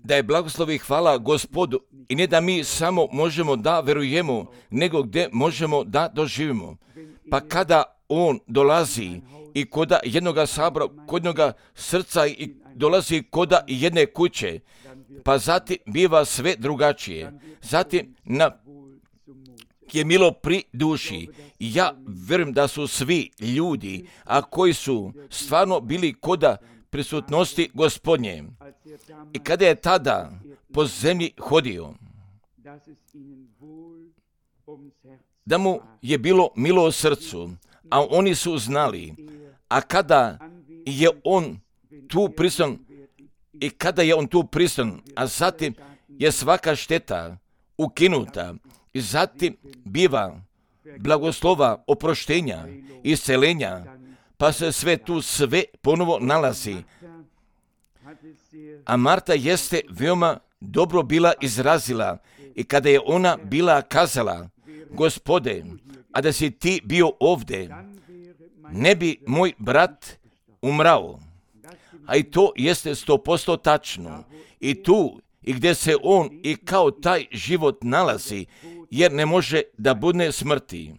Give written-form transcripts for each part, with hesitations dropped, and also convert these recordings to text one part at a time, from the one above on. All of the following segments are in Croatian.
Da je blagoslov i hvala Gospodu i ne da mi samo možemo da verujemo, nego gdje možemo da doživimo. Pa kada on dolazi i koda jednoga sabora, kod jednoga srca i dolazi koda jedne kuće, pa zatim biva sve drugačije. Zatim je milo pri duši. Ja vjerujem da su svi ljudi, a koji su stvarno bili koda prisutnosti Gospodnje. I kada je tada po zemlji hodio, da mu je bilo milo u srcu, a oni su znali, a kada je on tu prisutan, i kada je on tu prisutan, a zatim je svaka šteta ukinuta, i zatim biva blagoslova, oproštenja, iscelenja, pa se sve ponovo nalazi. A Marta jeste veoma dobro bila izrazila i kada je ona bila kazala, Gospode, a da si ti bio ovdje, ne bi moj brat umrao. A i to jeste 100% tačno. I tu, i gdje se on i kao taj život nalazi, jer ne može da bude smrti.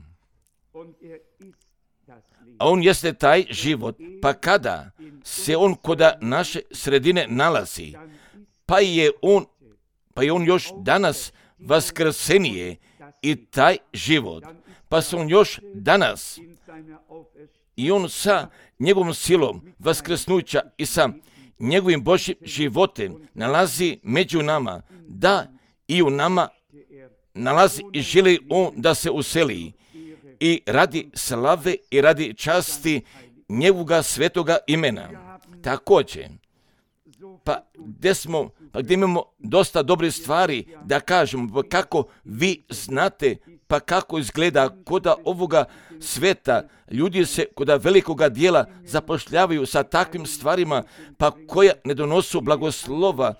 A on jeste taj život, pa kada se on koda naše sredine nalazi, pa je on još danas vaskrsenije i taj život, pa se on još danas i on sa njegovom silom vaskrsnuća i sa njegovim Božjim životem nalazi među nama, da i u nama nalazi i želi on da se useli i radi slave i radi časti njegovoga svetoga imena. Također, gdje imamo dosta dobrih stvari da kažemo, pa kako vi znate, pa kako izgleda koda ovoga sveta, ljudi se koda velikoga dijela zapošljavaju sa takvim stvarima, pa koja ne donosu blagoslova,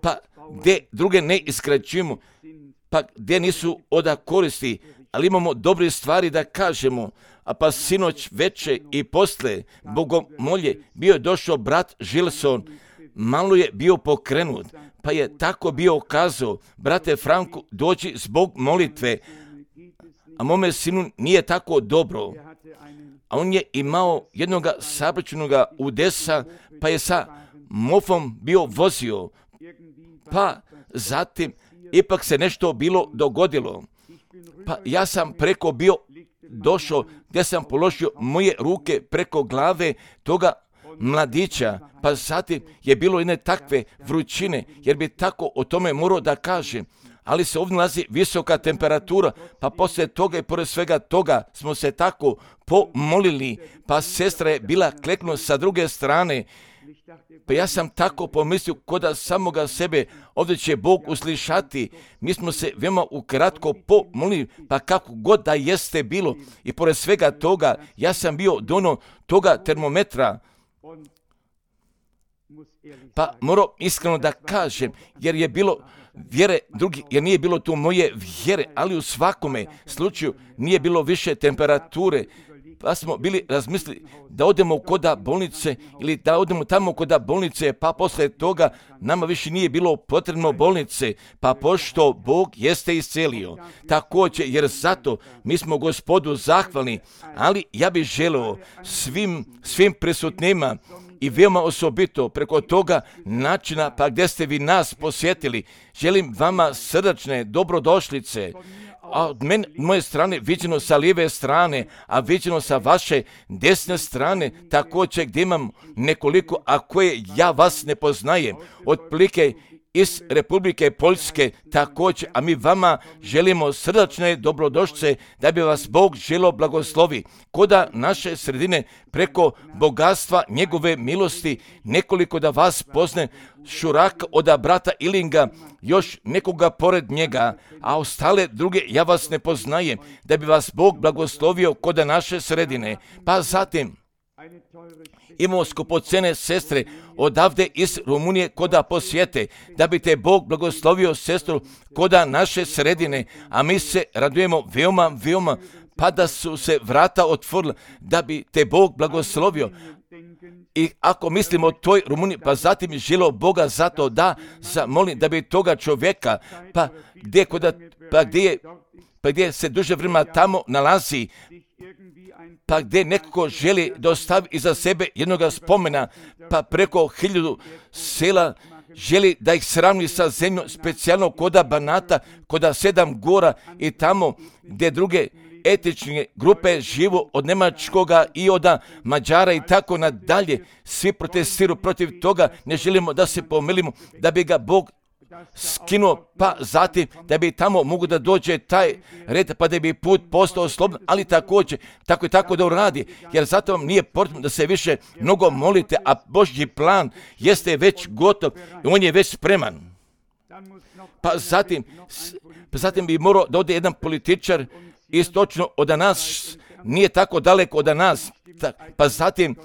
pa gdje druge ne iskraćujemo, pa gdje nisu oda koristi, ali imamo dobre stvari da kažemo. A pa sinoć veče i posle bogomolje bio je došao brat Žilson, malo je bio pokrenut, pa je tako bio kazao, brate Franku, dođi zbog molitve, a mome sinu nije tako dobro. A on je imao jednoga saobraćajnoga udesa, pa je sa mofom bio vozio, pa zatim ipak se nešto bilo dogodilo. Pa ja sam preko bio došao gdje sam položio moje ruke preko glave toga mladića, pa zatim je bilo jedne takve vrućine, jer bi tako o tome morao da kažem, ali se ovdje nalazi visoka temperatura, pa poslije toga i pored svega toga smo se tako pomolili, pa sestra je bila kleknuta sa druge strane, pa ja sam tako pomislio koda samoga sebe ovdje će Bog uslišati. Mi smo se veoma ukratko pomolili, pa kako god da jeste bilo, i pored svega toga ja sam bio dono toga termometra, pa moram iskreno da kažem, jer je bilo vjere drugi, jer nije bilo tu moje vjere, ali u svakome slučaju nije bilo više temperature, pa smo bili razmislili da odemo koda bolnice ili da odemo tamo koda bolnice, pa posle toga nama više nije bilo potrebno bolnice, pa pošto Bog jeste iscelio. Također, jer zato mi smo Gospodu zahvalni, ali ja bih želeo svim prisutnima i veoma osobito preko toga načina, pa gdje ste vi nas posjetili, želim vama srdačne dobrodošlice. A od moje strane viđeno sa lijeve strane, a viđeno sa vaše desne strane, također gdje imam nekoliko, a koje ja vas ne poznajem, otprilike iz Republike Poljske također, a mi vama želimo srdačne dobrodošlice da bi vas Bog želio blagoslovi. Koda naše sredine preko bogatstva njegove milosti, nekoliko da vas pozne, Šurak od brata Ilinga, još nekoga pored njega, a ostale druge ja vas ne poznajem, da bi vas Bog blagoslovio koda naše sredine. Pa zatim imamo skupocene sestre odavde iz Rumunije koda posjete, da bi te Bog blagoslovio sestru koda naše sredine, a mi se radujemo veoma, pa da su se vrata otvorila, da bi te Bog blagoslovio, I ako mislimo o toj Rumuniji, pa zatim želio Boga zato da zamolim da bi toga čovjeka, gdje se duže vremena tamo nalazi, pa gdje neko želi da ostavi iza sebe jednoga spomena, pa preko 1000 sela želi da ih sravni sa zemljom, specijalno koda Banata, koda 7 gora i tamo gdje druge etične grupe živu od Njemačkoga i od Mađara i tako nadalje. Svi protestiraju protiv toga, ne želimo da se pomilimo, da bi ga Bog skinuo, pa zatim da bi tamo mogu da dođe taj red, pa da bi put postao slobodan, ali također tako i tako da uradi, jer zato vam nije potrebno da se više mnogo molite, a Božji plan jeste već gotov i on je već spreman. Pa zatim bi morao da ode jedan političar istočno od nas, nije tako daleko od nas, pa zatim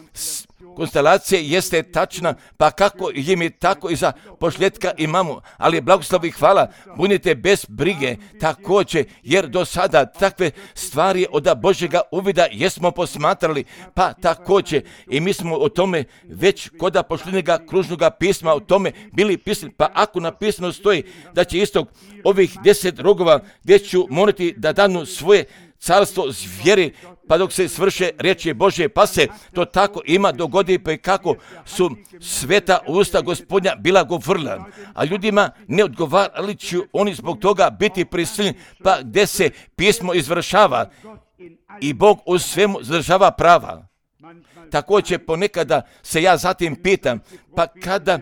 konstelacija jeste tačna, pa kako je mi tako i za pošljetka imamo, ali blagoslov i hvala, budite bez brige također, jer do sada takve stvari od Božjega uvida jesmo posmatrali, pa također i mi smo o tome već kod pošljednjega kružnoga pisma o tome bili pisali, pa ako napisano stoji da će istog ovih 10 rogova gdje ću morati da danu svoje carstvo zvijeri, pa dok se svrše riječi Božje, pa se to tako ima dogodi, pa i kako su sveta usta Gospodnja bila govorila, a ljudima ne odgovarali će oni zbog toga biti prisiljeni, pa gdje se pismo izvršava i Bog u svemu zadržava prava. Također ponekada se ja zatim pitam, pa kada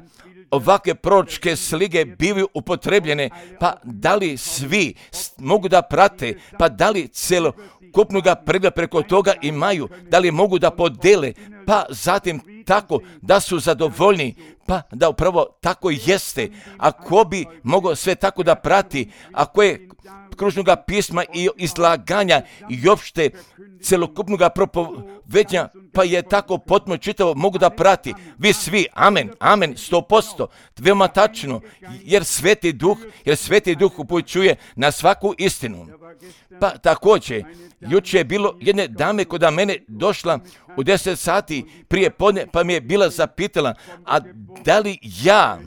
ovakve proročke slike bivaju upotrebljene, pa da li svi mogu da prate, pa da li celokupnoga pregleda preko toga imaju, da li mogu da podele, pa zatim tako da su zadovoljni, pa da upravo tako jeste. Ako bi mogao sve tako da prati, ako je kružnoga pisma i izlaganja i opšte celokupnoga propovednja, pa je tako potpuno čitavo mogu da prati. Vi svi, amen, 100%, veoma tačno, jer Sveti Duh upućuje na svaku istinu. Pa također, juče je bilo jedne dame kod mene došla u 10 sati prije podne, pa mi je bila zapitala, a da li ja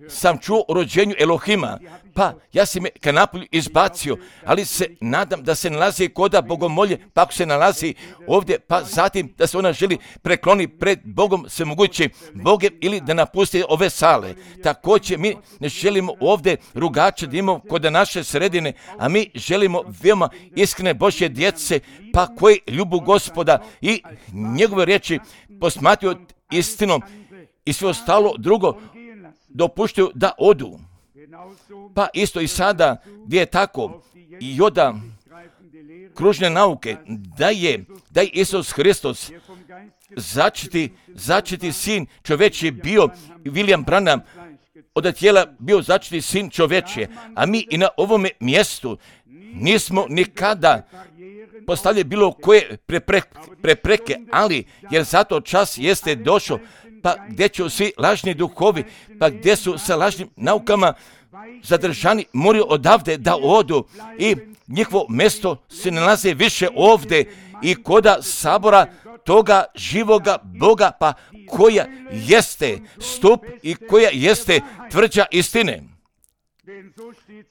sam čuo o rođenju Elohima, pa ja sam je ka napolju izbacio, ali se nadam da se nalazi koda bogomolje, pa ako se nalazi ovdje, pa zatim da se ona želi prekloni pred Bogom svemogućim Bogem ili da napusti ove sale. Također mi ne želimo ovdje rugače da imamo kod naše sredine, a mi želimo veoma iskrene Božje djece, pa koji ljubu Gospoda i njegove riječi posmatruju istinom i sve ostalo drugo dopuštaju da odu. Pa isto i sada gdje je tako i od kružne nauke da je Isus Hristos začeti sin čovječji bio, William Branham od tijela bio začeti sin čovječje, a mi i na ovome mjestu nismo nikada postavljali bilo koje prepreke, ali jer zato čas jeste došao, pa gdje će svi lažni duhovi, pa gdje su sa lažnim naukama zadržani, moraju odavde da odu i njihovo mjesto se nalaze više ovdje i koda sabora toga živoga Boga, pa koja jeste stup i koja jeste tvrđa istine.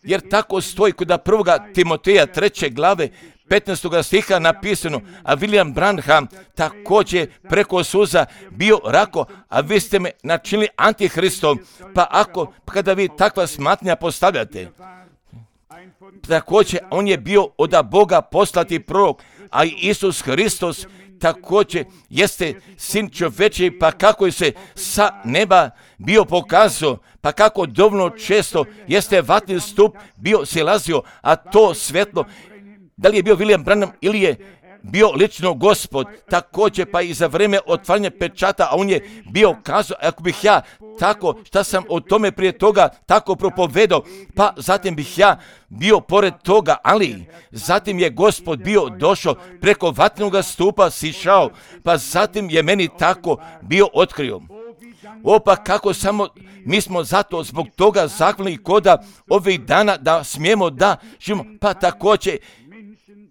Jer tako stoji kod 1. Timoteja 3. glave 15. stiha napisano, a William Branham također preko suza bio rako, a vi ste me načinili antihristom, pa kada vi takva smatranja postavljate, također on je bio od Boga poslati prorok, a i Isus Hristos također jeste sin čovječji, pa kako je se sa neba bio pokazao, pa kako dovoljno često jeste vatni stup bio silazio, a to svetlo, da li je bio William Branham ili je bio lično Gospod, također pa i za vrijeme otvaranja pečata, a on je bio kazao, ako bih ja tako, šta sam o tome prije toga tako propovedao, pa zatim bih ja bio pored toga, ali zatim je Gospod bio došao preko vatnog stupa, sišao, pa zatim je meni tako bio otkrio. Pa kako samo mi smo zato zbog toga zahvalni koda ovih dana da smijemo da živimo, pa također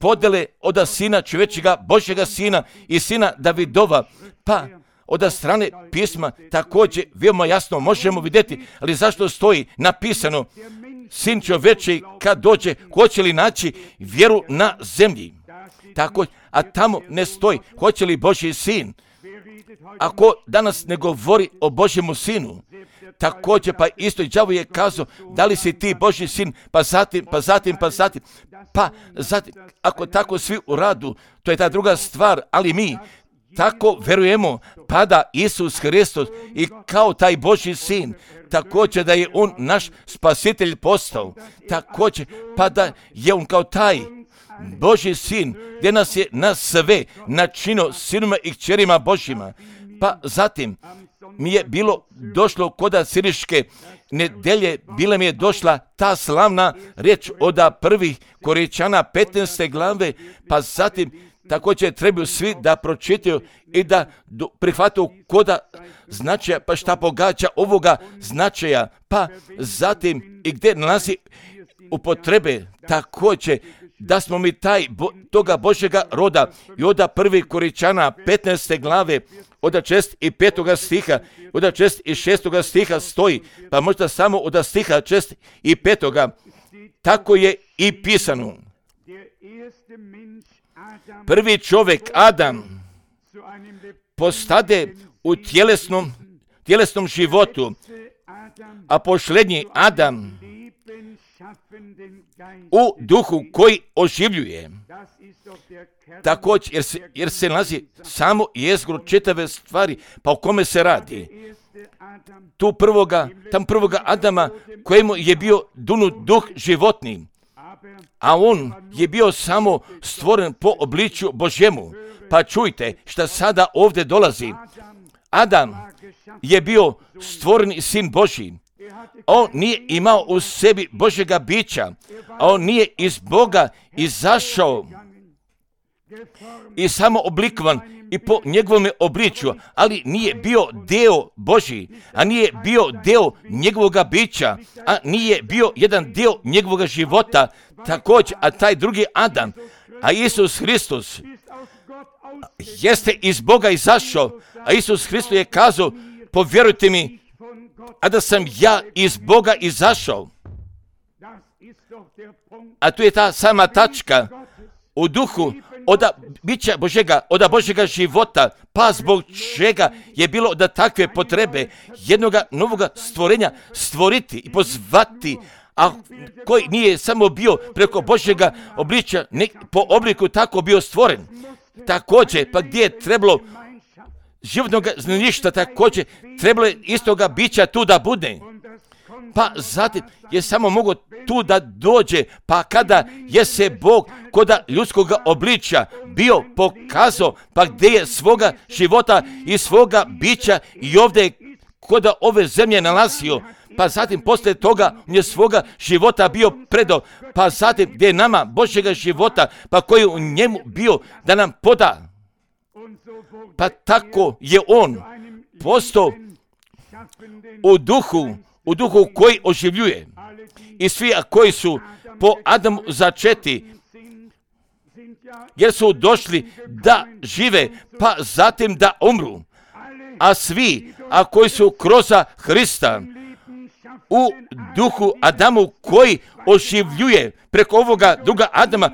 podele od sina čovječega, Božjega sina i sina Davidova, pa od strane pisma također veoma jasno možemo vidjeti, ali zašto stoji napisano sin čovječi kad dođe, hoće li naći vjeru na zemlji? Tako, a tamo ne stoji hoće li Božji sin. Ako danas ne govori o Božjemu sinu, također pa isto i đavo je kazao, da li si ti Božji sin, pa zatim, ako tako svi u radu, to je ta druga stvar, ali mi tako verujemo, pa da Isus Hristos i kao taj Božji sin, također da je on naš spasitelj postao, također pa da je on kao taj Božji sin, gdje nas je na sve načinio sinima i kćerima Božjima. Pa zatim mi je bilo došlo koda siriške nedelje, bila mi je došla ta slavna riječ od prvih Korinčana 15. glave, pa zatim također trebaju svi da pročitaju i da prihvataju koda značaja, pa šta pogađa ovoga značaja, pa zatim i gdje nalazi upotrebe također da smo mi toga Božjega roda i od prvih Korinčana 15. glave od 6. i 5. stiha, od 6. i 6. stiha stoji, pa možda samo od stiha 6. i 5. tako je i pisano. Prvi čovjek Adam postade u tjelesnom životu, a posljednji Adam u duhu koji oživljuje. Također, jer se nalazi samo jezgro čitave stvari, pa o kome se radi? Tam prvoga Adama kojemu je bio dunut duh životni, a on je bio samo stvoren po obličju Božjemu. Pa čujte šta sada ovdje dolazi. Adam je bio stvoreni sin Božji. On nije imao u sebi Božjega bića, a on nije iz Boga izašao i samo oblikovan i po njegovom obličju, ali nije bio deo Božji, a nije bio deo njegovoga bića, a nije bio jedan deo njegovoga života, također, a taj drugi Adam, a Isus Hristos, jeste iz Boga izašao, a Isus Hristos je kazao, povjerujte mi, a da sam ja iz Boga izašao. A tu je ta sama tačka u duhu od bića Božjega, od Božjega života, pa zbog čega je bilo da takve potrebe jednoga novoga stvorenja stvoriti i pozvati, a koji nije samo bio preko Božjega obličja, po obliku tako bio stvoren. Također, pa gdje je trebalo životnog znaništa, također trebalo je istoga bića tu da bude. Pa zatim je samo mogo tu da dođe, pa kada je se Bog koda ljudskog obličja bio pokazao, pa gdje je svoga života i svoga bića i ovdje koda ove zemlje nalazio, pa zatim poslije toga je svoga života bio predao, pa zatim gdje je nama Božjega života, pa koji je u njemu bio da nam poda. Pa tako je on postao u duhu koji oživljuje. I svi koji su po Adamu začeti, jer su došli da žive, pa zatim da umru. A svi koji su kroz Hrista u duhu Adamu koji oživljuje preko ovoga druga Adama,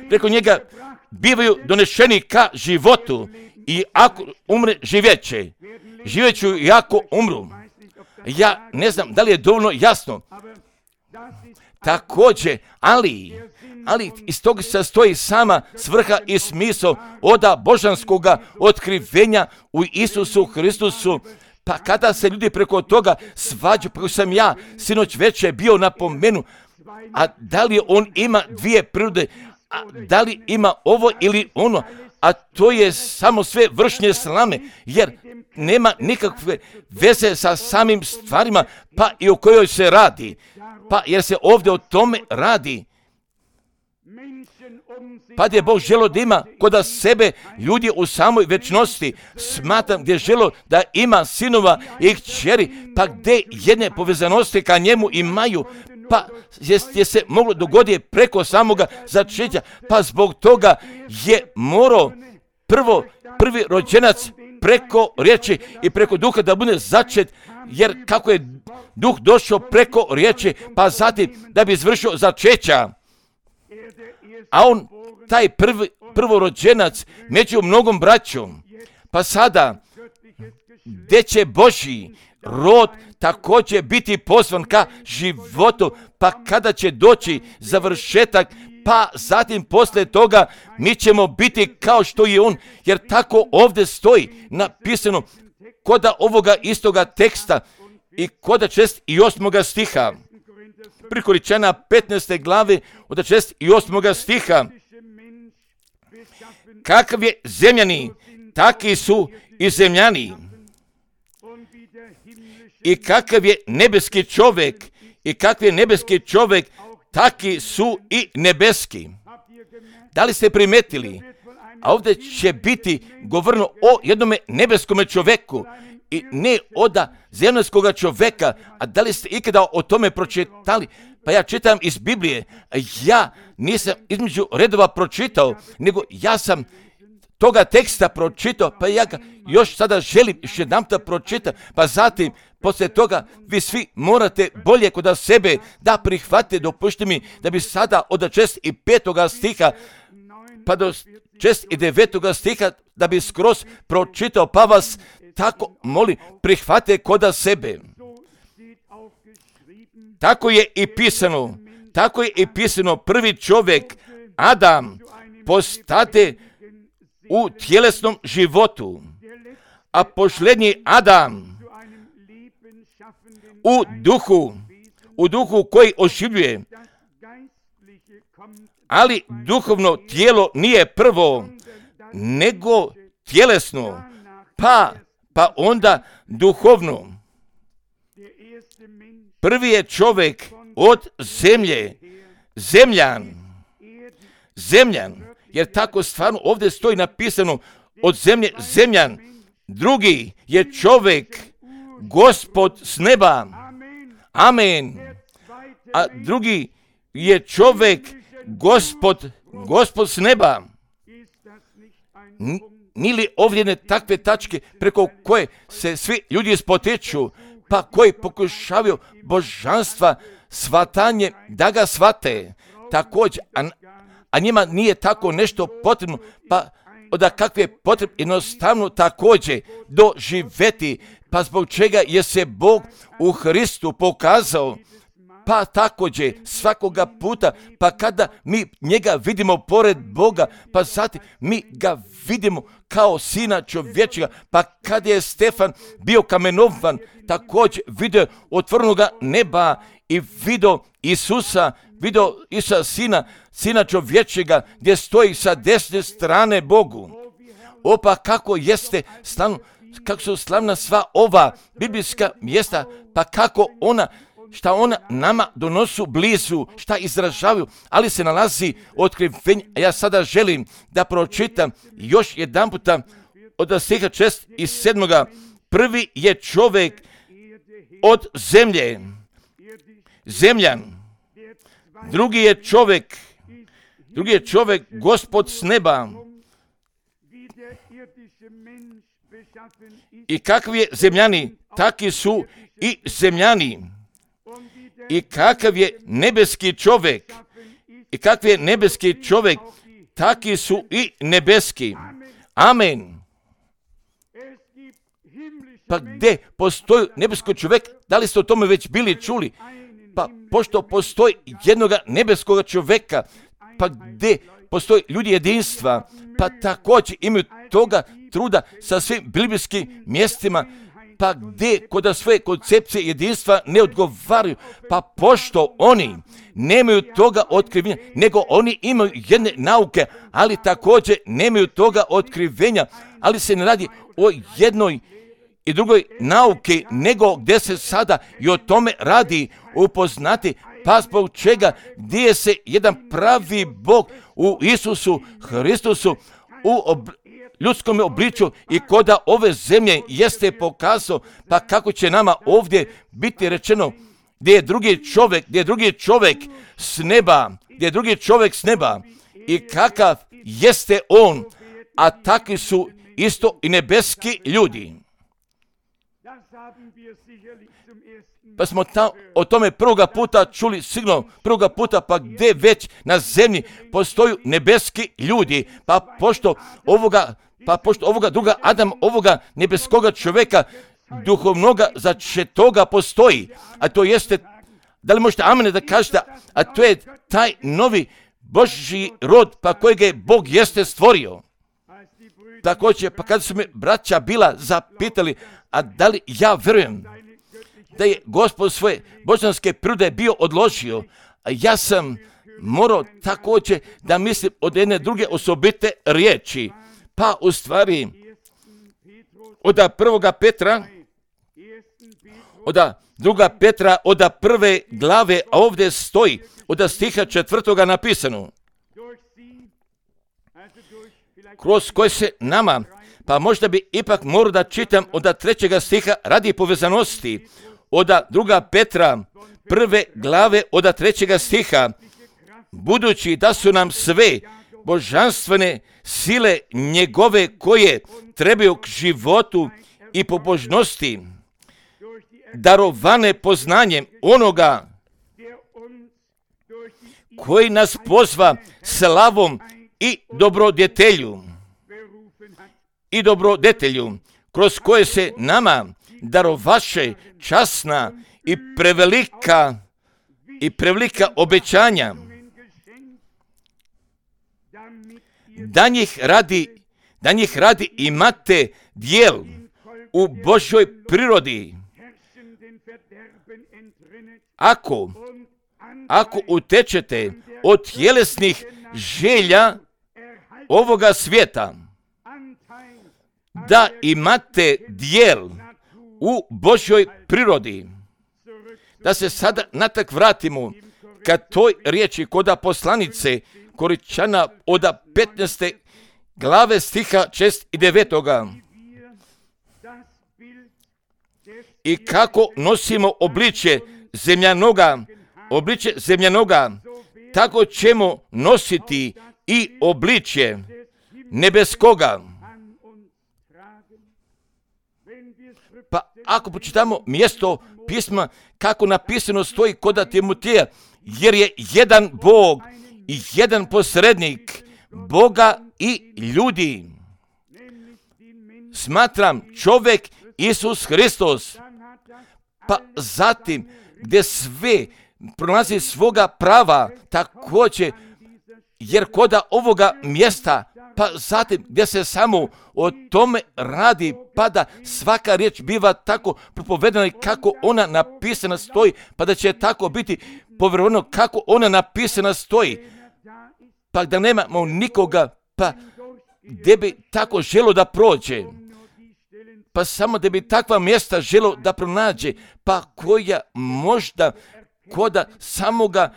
preko njega bivaju donešeni ka životu. I ako umre, živjeću i ako umru. Ja ne znam da li je dovoljno jasno. Također, ali iz toga se sastoji sama svrha i smisao od božanskoga otkrivenja u Isusu Hristusu. Pa kada se ljudi preko toga svađaju, kako sam ja sinoć večer bio napomenu, a da li on ima dvije prirode, a da li ima ovo ili ono, a to je samo sve vršnje slame, jer nema nikakve veze sa samim stvarima, pa i o kojoj se radi. Pa jer se ovdje o tome radi. Pa gdje Bog želo da ima kod sebe ljudi u samoj večnosti, smatram gdje želo da ima sinova i kćeri, pa gdje jedne povezanosti ka njemu imaju, pa je se moglo dogoditi preko samoga začeća, pa zbog toga je morao prvi rođenac preko riječi i preko duha da bude začet, jer kako je duh došao preko riječi, pa zatim da bi izvršio začeća, a on, taj prvorođenac među mnogom braćom, pa sada, gdje će Božji rod također biti pozvan ka životu, pa kada će doći završetak, pa zatim poslije toga mi ćemo biti kao što je on, jer tako ovdje stoji napisano koda ovoga istoga teksta i koda 68. stiha. Pri Korinčana 15. glave od 68. stiha. Kakav je zemljani, taki su i zemljani. I kakav je nebeski čovjek, i kakav je nebeski čovjek, taki su i nebeski. Da li ste primetili? A ovdje će biti govoreno o jednome nebeskome čovjeku i ne od zemaljskoga čovjeka. A da li ste ikada o tome pročitali? Pa ja čitam iz Biblije. Ja nisam između redova pročitao, nego ja sam toga teksta pročitao, pa ja ga još sada želim još jedanputa pročitati, pa zatim poslije toga vi svi morate bolje kod sebe da prihvatite. Dopušti mi da bi sada od 65. stiha pa do 69. stiha da bi skroz pročitao, pa vas tako molim prihvatite kod sebe. Tako je i pisano, prvi čovjek Adam postade u tjelesnom životu, a posljednji Adam u duhu koji oživljuje, ali duhovno tijelo nije prvo, nego tjelesno, pa onda duhovno. Prvi je čovjek od zemlje, zemljan, jer tako stvarno ovdje stoji napisano od zemlje, zemljan. Drugi je čovjek, Gospod s neba, amen. A drugi je čovjek, Gospod s neba. Nije li ovdje takve tačke preko koje se svi ljudi spotiču, pa koji pokušavaju božanstva shvatanje da ga shvate također, a njima nije tako nešto potrebno, pa da kakve je potrebno jednostavno također doživjeti, pa zbog čega je se Bog u Hristu pokazao, pa također svakoga puta, pa kada mi njega vidimo pored Boga, pa zatim mi ga vidimo kao sina čovječega, pa kada je Stefan bio kamenovan, također vidio otvorenoga neba i vidio Isusa sina čovječega, gdje stoji sa desne strane Bogu. Pa kako jeste slavno, kako su slavna sva ova biblijska mjesta, pa kako šta ona nama donosu blizu, šta izražavaju, ali se nalazi otkrivenje. Ja sada želim da pročitam još jedan puta od stiha 6 i 7. Prvi je čovjek od zemlje, zemljan. Drugi je čovjek, Gospod s neba. I kakvi je zemljani, taki su i zemljani. I kakav je nebeski čovjek, taki su i nebeski. Amen. Pa gdje postoji nebeski čovjek, da li ste o tome već bili čuli? Pa pošto postoji jednoga nebeskog čovjeka, pa gdje postoji ljudi jedinstva, pa također imaju toga truda sa svim biblijskim mjestima, pa gdje kod svoje koncepcije jedinstva ne odgovaraju, pa pošto oni nemaju toga otkrivenja, nego oni imaju jedne nauke, ali također nemaju toga otkrivenja, ali se ne radi o jednoj i drugoj nauke, nego gdje se sada i o tome radi upoznati, pa zbog čega gdje se jedan pravi Bog u Isusu Hristusu u ljudskom obličju i koda ove zemlje jeste pokazao, pa kako će nama ovdje biti rečeno gdje je drugi čovjek s neba, i kakav jeste on, a takvi su isto i nebeski ljudi. Pa smo o tome prvoga puta čuli, sigurno prvoga puta, pa gdje već na zemlji postoju nebeski ljudi, pa pošto ovoga druga Adam, ovoga nebeskoga čovjeka, duhovnoga začetoga postoji, a to jeste, da li možete amen da kažete, a to je taj novi Božji rod, pa kojeg je Bog jeste stvorio. Također, pa kad su me braća bila zapitali, a da li ja vjerujem da je Gospod svoje božanske prirode bio odložio, a ja sam morao također da mislim od jedne druge osobite riječi, pa u stvari od 1. Petra, od 2. Petra, od 1. glave, a ovdje stoji od stiha 4. napisano, kroz koje se nama, pa možda bi ipak morao da čitam od 3. stiha radi povezanosti, od 2. Petra, 1. glave, od 3. stiha, budući da su nam sve božanstvene sile njegove koje trebaju k životu i pobožnosti, darovane poznanjem onoga koji nas pozva slavom i dobrodetelju, kroz koje se nama darovaše časna i prevelika obećanja, da njih radi imate dijel u Božjoj prirodi, ako utečete od tjelesnih želja ovoga svijeta, da imate dijel u Božjoj prirodi. Da se sada natrag vratimo ka toj riječi koda poslanice Koričana od 15. glave stiha 6 i 9. I kako nosimo obličje zemljanoga, tako ćemo nositi i obličje nebeskoga. Pa ako počitamo mjesto pisma kako napisano stoji kod Timoteja, jer je jedan Bog i jedan posrednik Boga i ljudi. Smatram čovjek Isus Hristos, pa zatim gdje sve pronalazi svoga prava također, jer koda ovoga mjesta, pa zatim gdje se samo o tome radi, pa da svaka riječ biva tako propovedana i kako ona napisana stoji, pa da će tako biti povjerovano kako ona napisana stoji, pa da nemamo nikoga, pa gdje bi tako želo da prođe, pa samo da bi takva mjesta želo da pronađe, pa koja možda koda samoga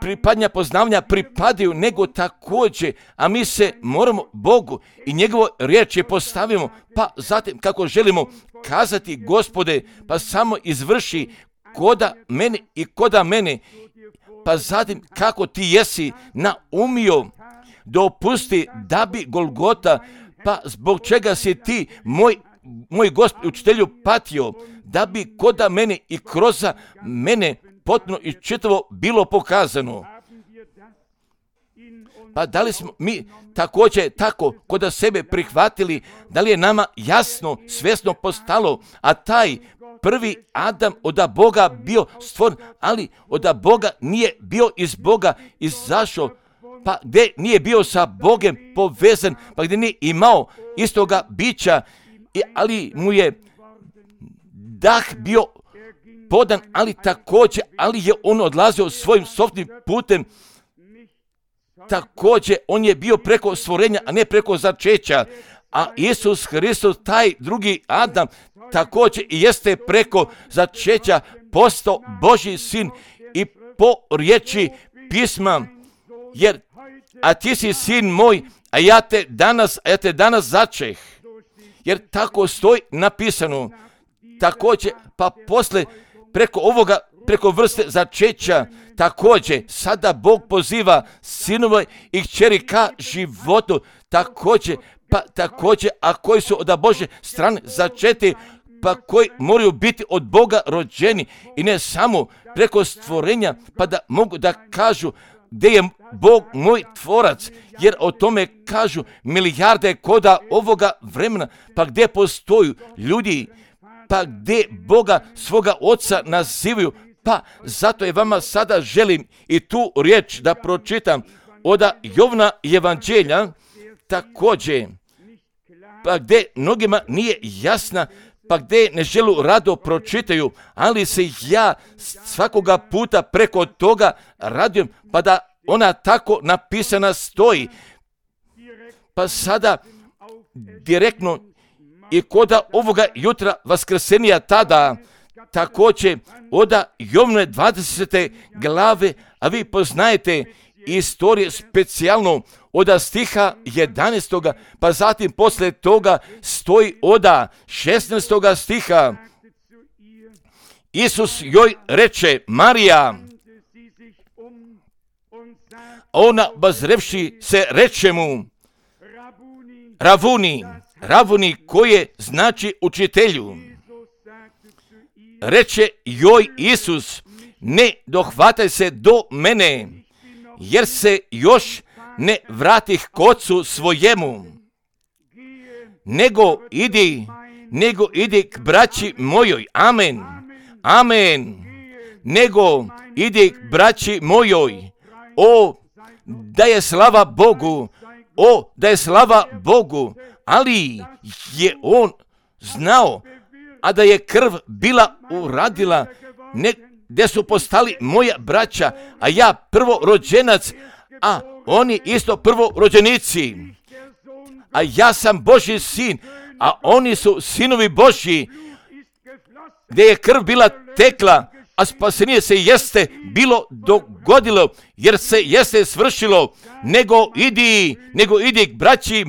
pripadnja poznavanja pripadaju, nego također, a mi se moramo Bogu i njegovo riječi postavimo, pa zatim kako želimo kazati, Gospode, pa samo izvrši koda mene i koda mene, pa zatim kako ti jesi naumio dopusti da bi Golgota, pa zbog čega si ti moj Gospod učitelju patio, da bi koda mene i kroz mene potpuno i čitavo bilo pokazano. Pa da li smo mi također tako kod sebe prihvatili, da li je nama jasno, svjesno postalo, a taj prvi Adam od Boga bio stvoren, ali od Boga nije bio iz Boga izašao, pa gdje nije bio sa Bogem povezan, pa gdje nije imao istoga bića, ali mu je dah bio podan, ali također, ali je on odlazio svojim sopstvenim putem, također on je bio preko stvorenja, a ne preko začeća, a Isus Hristos, taj drugi Adam, također i jeste preko začeća postao Božji sin i po riječi pisma, jer a ti si sin moj, a ja te danas začeh, jer tako stoji napisano. Također, pa posle preko ovoga preko vrste začeća. Također, sada Bog poziva sinove i kćeri ka životu. Također, a koji su od Božje strane začeti, pa koji moraju biti od Boga rođeni i ne samo preko stvorenja, pa da mogu da kažu gdje je Bog moj tvorac, jer o tome kažu milijarde koda ovoga vremena, pa gdje postoju ljudi, pa gdje Boga svoga oca nazivaju, pa zato je vama sada želim i tu riječ da pročitam od Jovna evanđelja, također, pa gdje mnogima nije jasna, pa gdje ne želu rado pročitaju, ali se ja svakoga puta preko toga radujem, pa da ona tako napisana stoji. Pa sada direktno i koda ovoga jutra vaskrsenija tada, također od Jovne 20. glave, a vi poznajete istorije specijalno od stiha 11. pa zatim poslije toga stoji od 16. stiha. Isus joj reče, Marija, ona bazrevši se reče mu, Ravuni koje znači učitelju. Reče joj Isus, ne dohvataj se do mene, jer se još ne vratih k ocu svojemu, nego idi k braći mojoj. Amen. Nego idi k braći mojoj. Da je slava Bogu, ali je on znao, a da je krv bila uradila, gdje su postali moja braća, a ja prvorođenac, a oni isto prvorođenici. A ja sam Božji sin, a oni su sinovi Božji, gdje je krv bila tekla, a spasenje se jeste bilo dogodilo, jer se jeste svršilo, nego idi k braći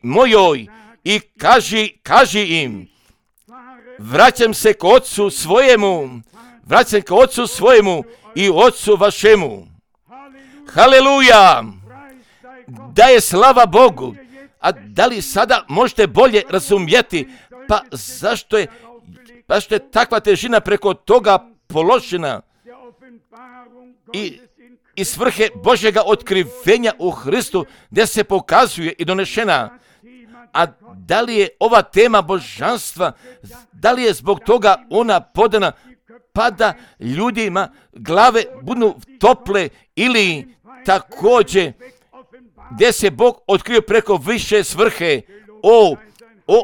mojoj, i kaži im, vraćam se k ocu svojemu i ocu vašemu. Haleluja! Da je slava Bogu. A da li sada možete bolje razumjeti, pa zašto je takva težina preko toga položena i svrhe Božjega otkrivenja u Hristu, gdje se pokazuje i donešena. A da li je ova tema božanstva, da li je zbog toga ona podana, pa da ljudima glave budu tople, ili također gdje se Bog otkrio preko više svrhe,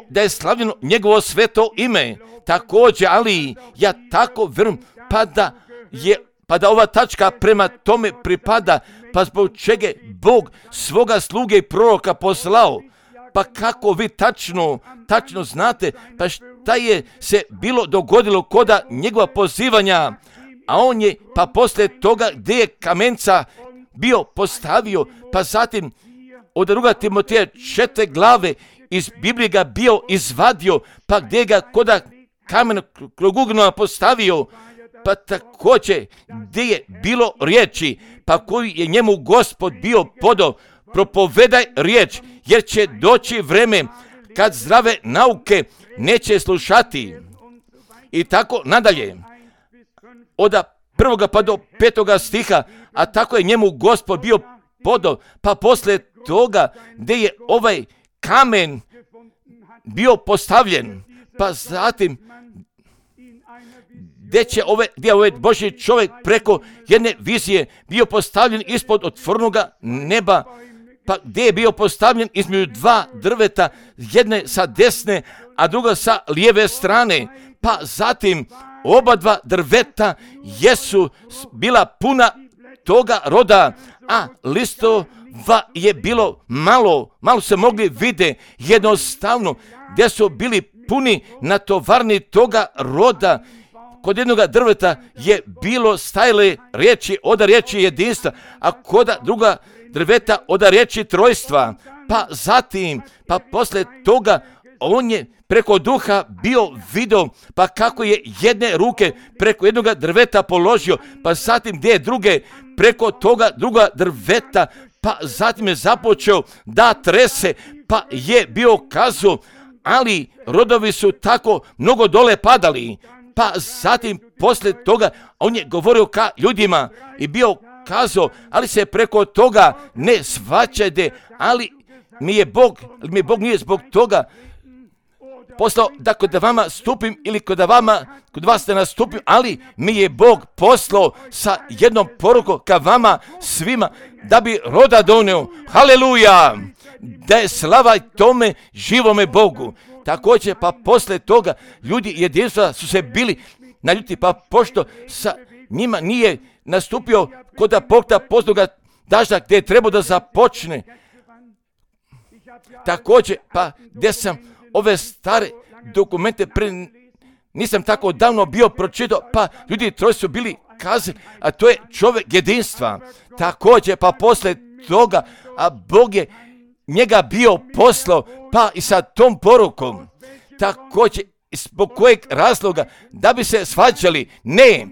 da je slavljeno njegovo sveto ime. Također, ali ja tako vjerujem, pa da ova tačka prema tome pripada, pa zbog čega Bog svoga sluge i proroka poslao. Pa kako vi tačno znate, pa šta je se bilo dogodilo koda njegova pozivanja, a on je pa poslije toga gdje je kamenca bio postavio, pa zatim od 2. Timoteja 4. glave iz Biblije ga bio izvadio, pa gdje ga koda kamen ugnova postavio, pa također gdje je bilo riječi, pa koju je njemu Gospod bio podao, propovedaj riječ, jer će doći vreme kad zdrave nauke neće slušati. I tako nadalje. Od 1. pa do 5. stiha, a tako je njemu Gospod bio podao, pa poslije toga gdje je ovaj kamen bio postavljen, pa zatim gdje je ovaj Božji čovjek preko jedne vizije bio postavljen ispod otvorenoga neba, pa gdje je bio postavljen između 2 drveta, jedne sa desne, a druga sa lijeve strane, pa zatim oba 2 drveta jesu bila puna toga roda, a listova je bilo malo se mogli vide, jednostavno, gdje su bili puni natovarni toga roda. Kod jednog drveta je bilo stajale riječi od riječi jedinstva, a kod druga drveta od riječi trojstva. Pa zatim, pa poslije toga on je preko duha bio video, pa kako je jedne ruke preko jednog drveta položio, pa zatim gdje je druge preko toga druga drveta, pa zatim je započeo da trese, pa je bio kazao, ali rodovi su tako mnogo dole padali, pa zatim poslije toga on je govorio ka ljudima i bio kazao, ali se preko toga ne svaćajte, ali mi je Bog nije zbog toga poslao da kod vama stupim ili kod vas ne nastupim, ali mi je Bog poslao sa jednom porukom ka vama svima da bi roda donio. Haleluja! Da je slava tome živome Bogu. Također pa poslije toga ljudi jedinstva su se bili naljuti, pa pošto sa njima nije nastupio kod pokta posljednoga dažda gdje je trebao da započne. Također pa gdje sam ove stare dokumente nisam tako davno bio pročitao, pa ljudi troje su bili kazali, a to je čovjek jedinstva. Također pa poslije toga, a Bog je njega bio poslao, pa i sa tom porukom. Također zbog kojeg razloga? Da bi se svađali? Ne,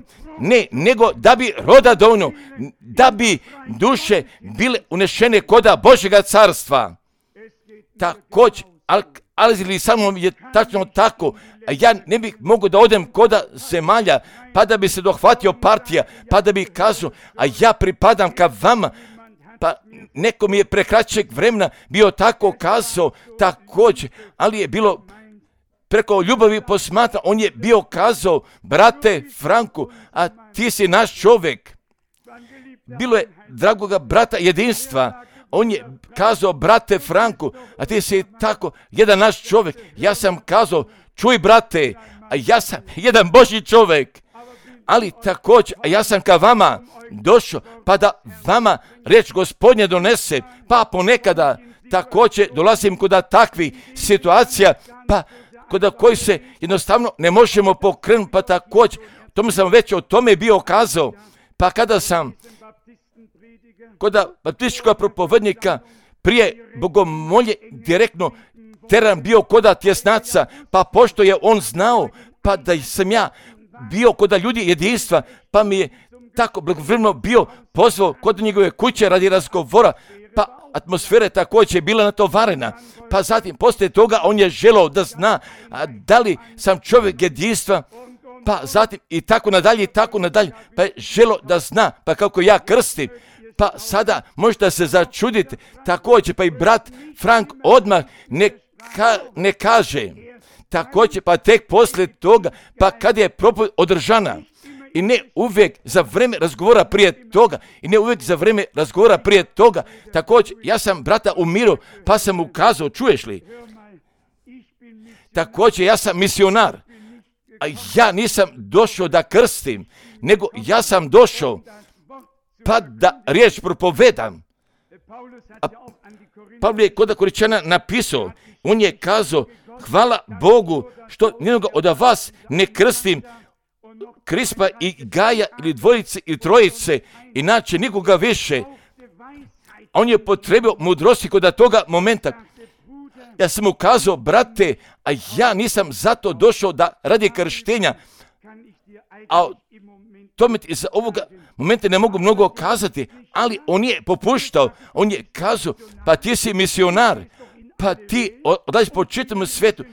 nego da bi roda donio, da bi duše bile unešene koda Božjega carstva. Također, ali samo je tačno tako, a ja ne bih mogao da odem koda zemalja, pa da bi se dohvatio partija, pa da bi kazao, a ja pripadam ka vama, pa neko mi je pre kraćeg vremena bio tako kazao, također, ali je bilo preko ljubavi posmatra, on je bio kazao, brate Franku, a ti si naš čovjek. Bilo je dragoga brata jedinstva, on je kazao, brate Franku, a ti si tako jedan naš čovjek. Ja sam kazao, čuj brate, a ja sam jedan Božji čovjek. Ali također, a ja sam ka vama došao, pa da vama riječ Gospodnje donese, pa ponekada također dolazim kod takvih situacija, pa kod koji se jednostavno ne možemo pokrenuti, pa također, tomu sam već o tome bio kazao, pa kada sam kod baptističkog propovednika prije bogomolje direktno teran bio kod tjesnaca, pa pošto je on znao, pa da sam ja bio kod ljudi jedinstva, pa mi je tako blagovremeno bio pozvao kod njegove kuće radi razgovora, pa atmosfera također je bila natovarena, pa zatim poslije toga on je želeo da zna da li sam čovjek jedinstva, pa zatim i tako nadalje, pa je želeo da zna, pa kako ja krstim, pa sada možete se začuditi, također pa i brat Frank odmah ne kaže, također pa tek poslije toga, pa kad je propoved održana, i ne uvijek za vrijeme razgovora prije toga, također ja sam brata umirio, pa sam mu kazao, čuješ li, također ja sam misionar, a ja nisam došao da krstim, nego ja sam došao pa da riječ propovedam. A Pavle je kod Koričana napisao, on je kazao, hvala Bogu što nijednoga od vas ne krstim, Krispa i Gaja ili dvojice ili trojice, inače nikoga više. On je potrebio mudrosti kod toga momenta. Ja sam mu kazao, brate, a ja nisam zato došao da radi krštenja, a tome iz ovoga momenta ne mogu mnogo kazati, ali on je popuštao, on je kazao, pa ti si misionar, pa ti odlaziš po čitavom svijetu,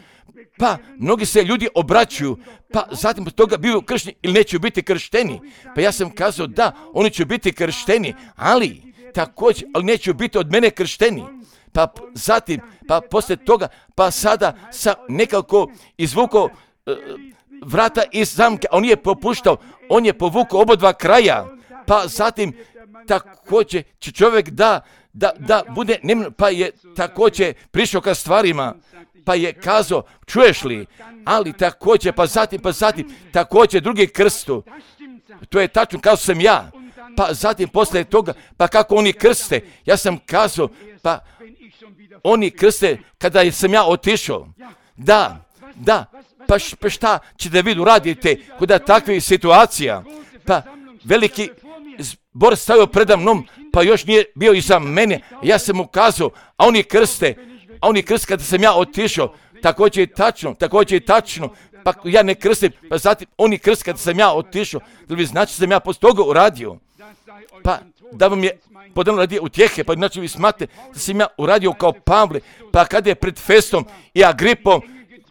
pa mnogi se ljudi obraćuju, pa zatim od toga bivaju kršteni ili neće biti kršteni. Pa ja sam kazao da, oni će biti kršteni, ali također, ali neće biti od mene kršteni. Pa zatim, pa poslije toga, pa sada sam nekako izvukao vrata iz zamke, a on je popuštao, on je povukao obodva kraja, pa zatim također će čovjek da bude neman, pa je također prišao ka stvarima, pa je kazao, čuješ li, ali također, pa zatim, također drugi krstu, to je tačno kao sam ja, pa zatim poslije toga, pa kako oni krste, ja sam kazao, pa oni krste kada sam ja otišao, da, pa šta ćete vi uraditi kod takvih situacija, pa veliki zbor stavio preda mnom, pa još nije bio iza mene, ja sam mu kazao, a oni krste kada sam ja otišao, također je tačno, pa ja ne krstim, pa zatim oni krst kad sam ja otišao, da vi znači sam ja poslije toga uradio, pa da vam je podano radi utjehe, pa znači vi smatrate da sam ja uradio kao Pavle, pa kad je pred Festom i Agripom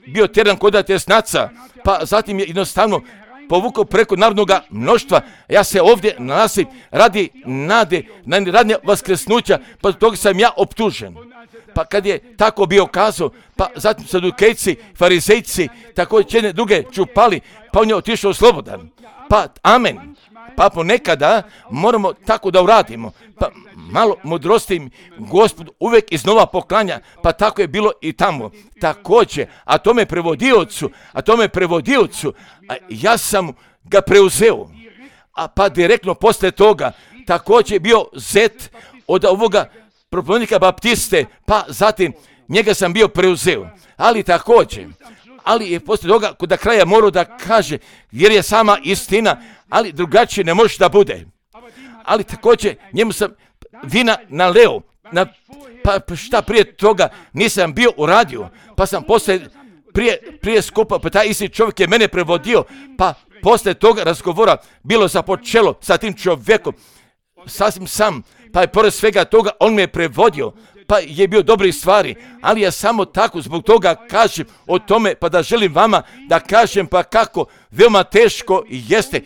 bio tjedan kod tjesnaca, pa zatim je jednostavno povukao preko narodnog mnoštva, ja se ovdje nalazim radi nade, radnje vaskresnuća, pa toga sam ja optužen. Pa kad je tako bio kazao, pa zatim sadukejci, farizejci, također jedne druge čupali, pa on je otišao slobodan. Pa amen. Pa ponekada moramo tako da uradimo. Pa malo mudrosti Gospod uvijek iznova poklanja, pa tako je bilo i tamo. Također, a tome prevodiocu, ja sam ga preuzeo. A pa direktno poslije toga, također je bio zet od ovoga propovednika Baptiste, pa zatim njega sam bio preuzeo. Ali je poslije toga kod kraja morao da kaže, jer je sama istina, ali drugačije ne može da bude. Ali također njemu sam vina naleo, pa šta prije toga nisam bio uradio, pa sam prije skupa, pa taj isti čovjek je mene prevodio, pa poslije toga razgovora bilo započelo sa tim čovjekom, sasvim sam, pa je pored svega toga on me je prevodio, pa je bio dobrih stvari, ali ja samo tako zbog toga kažem o tome, pa da želim vama da kažem pa kako veoma teško jeste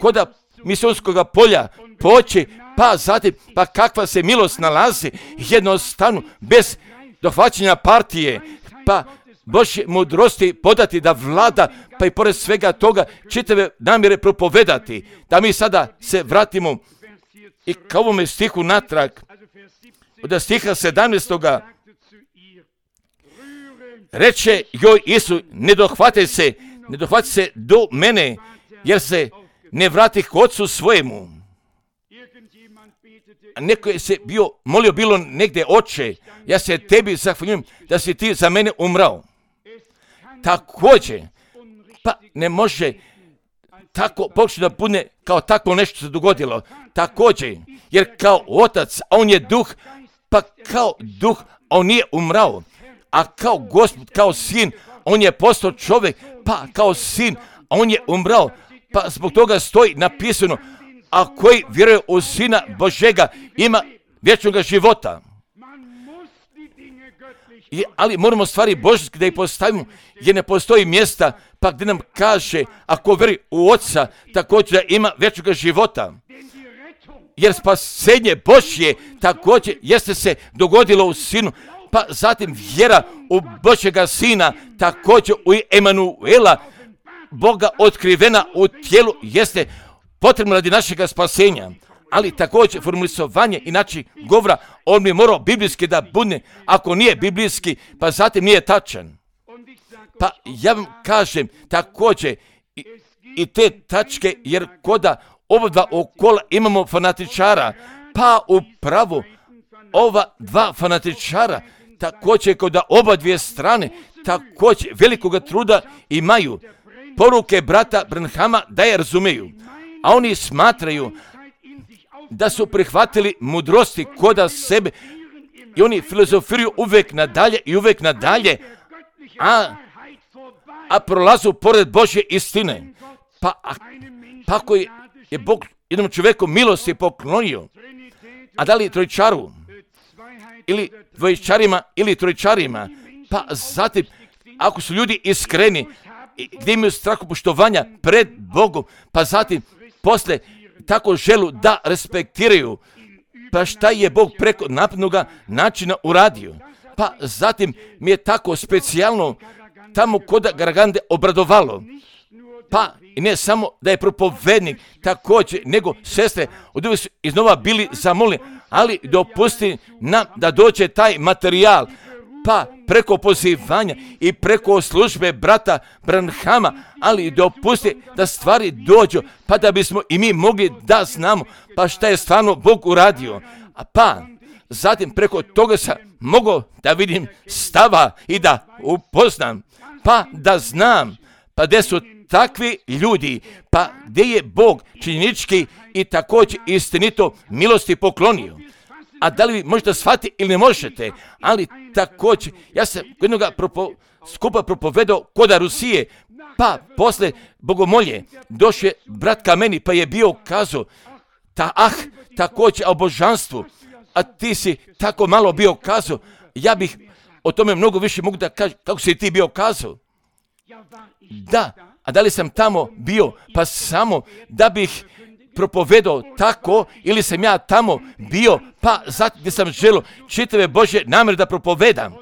kod misionskog polja poći, pa zatim, pa kakva se milost nalazi jednostavno bez dohvaćanja partije, pa Božje mudrosti podati da vlada, pa i pored svega toga čitave namjere propovedati, da mi sada se vratimo i ka ovome stihu natrag, od stiha 17. Reče joj Isus, ne dohvate se do mene, jer se ne vrati k ocu svojemu. A neko je se molio bilo negdje, oče, ja se tebi zahvaljujem da si ti za mene umrao. Također, pa ne može tako pokušati da bude kao tako nešto se dogodilo. Također, jer kao otac, a on je duh, pa kao duh, a on nije umrao. A kao Gospod, kao sin, on je postao čovjek, pa kao sin, a on je umrao. Pa zbog toga stoji napisano, a koji vjeruje u Sina Božega ima vječnog života. Ali moramo stvari božjske da ih postavimo, jer ne postoji mjesta pa gdje nam kaže, ako vjeruje u Oca, također da ima vječnog života. Jer spasenje Božje također jeste se dogodilo u Sinu, pa zatim vjera u Božjega Sina, također u Emanuela, Boga otkrivena u tijelu, jeste potrebno radi našega spasenja. Ali također formulisovanje i način govora, on bi morao biblijski da bude, ako nije biblijski, pa zatim nije tačan. Pa ja vam kažem također i te tačke, jer koda ova dva okola imamo fanatičara, pa upravo ova dva fanatičara, također kod oba dvije strane, također velikoga truda imaju poruke brata Branhama da je razumiju, a oni smatraju da su prihvatili mudrosti koda sebe i oni filozofiraju uvijek nadalje, a prolazu pored Božje istine. Pa ako je Bog jednom čovjeku milosti poklonio, a da li trojčaru, ili dvojčarima, ili trojčarima, pa zatim, ako su ljudi iskreni, gdje imaju strahopoštovanja pred Bogom, pa zatim, posle tako želu da respektiraju, pa šta je Bog preko napadnoga načina uradio. Pa zatim mi je tako specijalno tamo kod Garagande obradovalo. Pa i ne samo da je propovednik također, nego sestre od uvijek su iznova bili zamolni, ali dopusti nam da dođe taj materijal, pa preko pozivanja i preko službe brata Branhama, ali dopusti da stvari dođu, pa da bismo i mi mogli da znamo pa šta je stvarno Bog uradio. A pa zatim preko toga sam mogao da vidim stava i da upoznam, pa da znam, pa gdje su takvi ljudi, pa gdje je Bog činjenički i također istinito milosti poklonio. A da li vi možete shvatiti ili ne možete, ali također, ja sam jednoga skupa propovedao koda Rusije, pa posle bogomolje došao brat ka meni, pa je bio kazao, također o božanstvu, a ti si tako malo bio kazao, ja bih o tome mnogo više mogu da kažem, kako si ti bio kazao? Da, a da li sam tamo bio, pa samo da bih propovedao tako, ili sam ja tamo bio, pa zato gdje sam želio čitave Božje namjere da propovedam.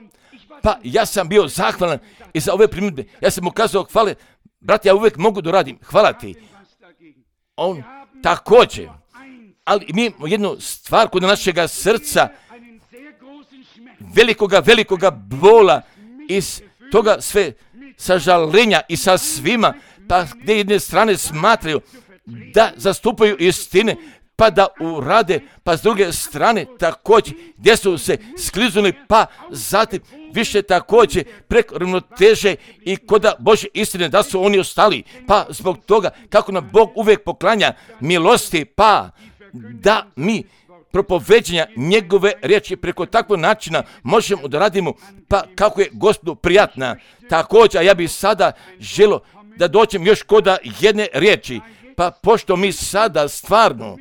Pa ja sam bio zahvalan i za ove primjedbe. Ja sam mu kazao, hvale, brat, ja uvijek mogu da radim, hvala ti. On također. Ali mi imamo jednu stvar kod našega srca, velikoga bola, iz toga sve sažalenja i sa svima, pa gdje jedne strane smatraju da zastupaju istine, pa da urade, pa s druge strane također gdje su se skliznuli, pa zatim više također preko ravnoteže i koda Božje istine da su oni ostali, pa zbog toga kako nam Bog uvijek poklanja milosti, pa da mi propoveđenja njegove riječi preko takvog načina možemo da radimo, pa kako je Gospodu prijatna. Također, a ja bih sada želio da dođem još koda jedne riječi, pa pošto mi sada stvarno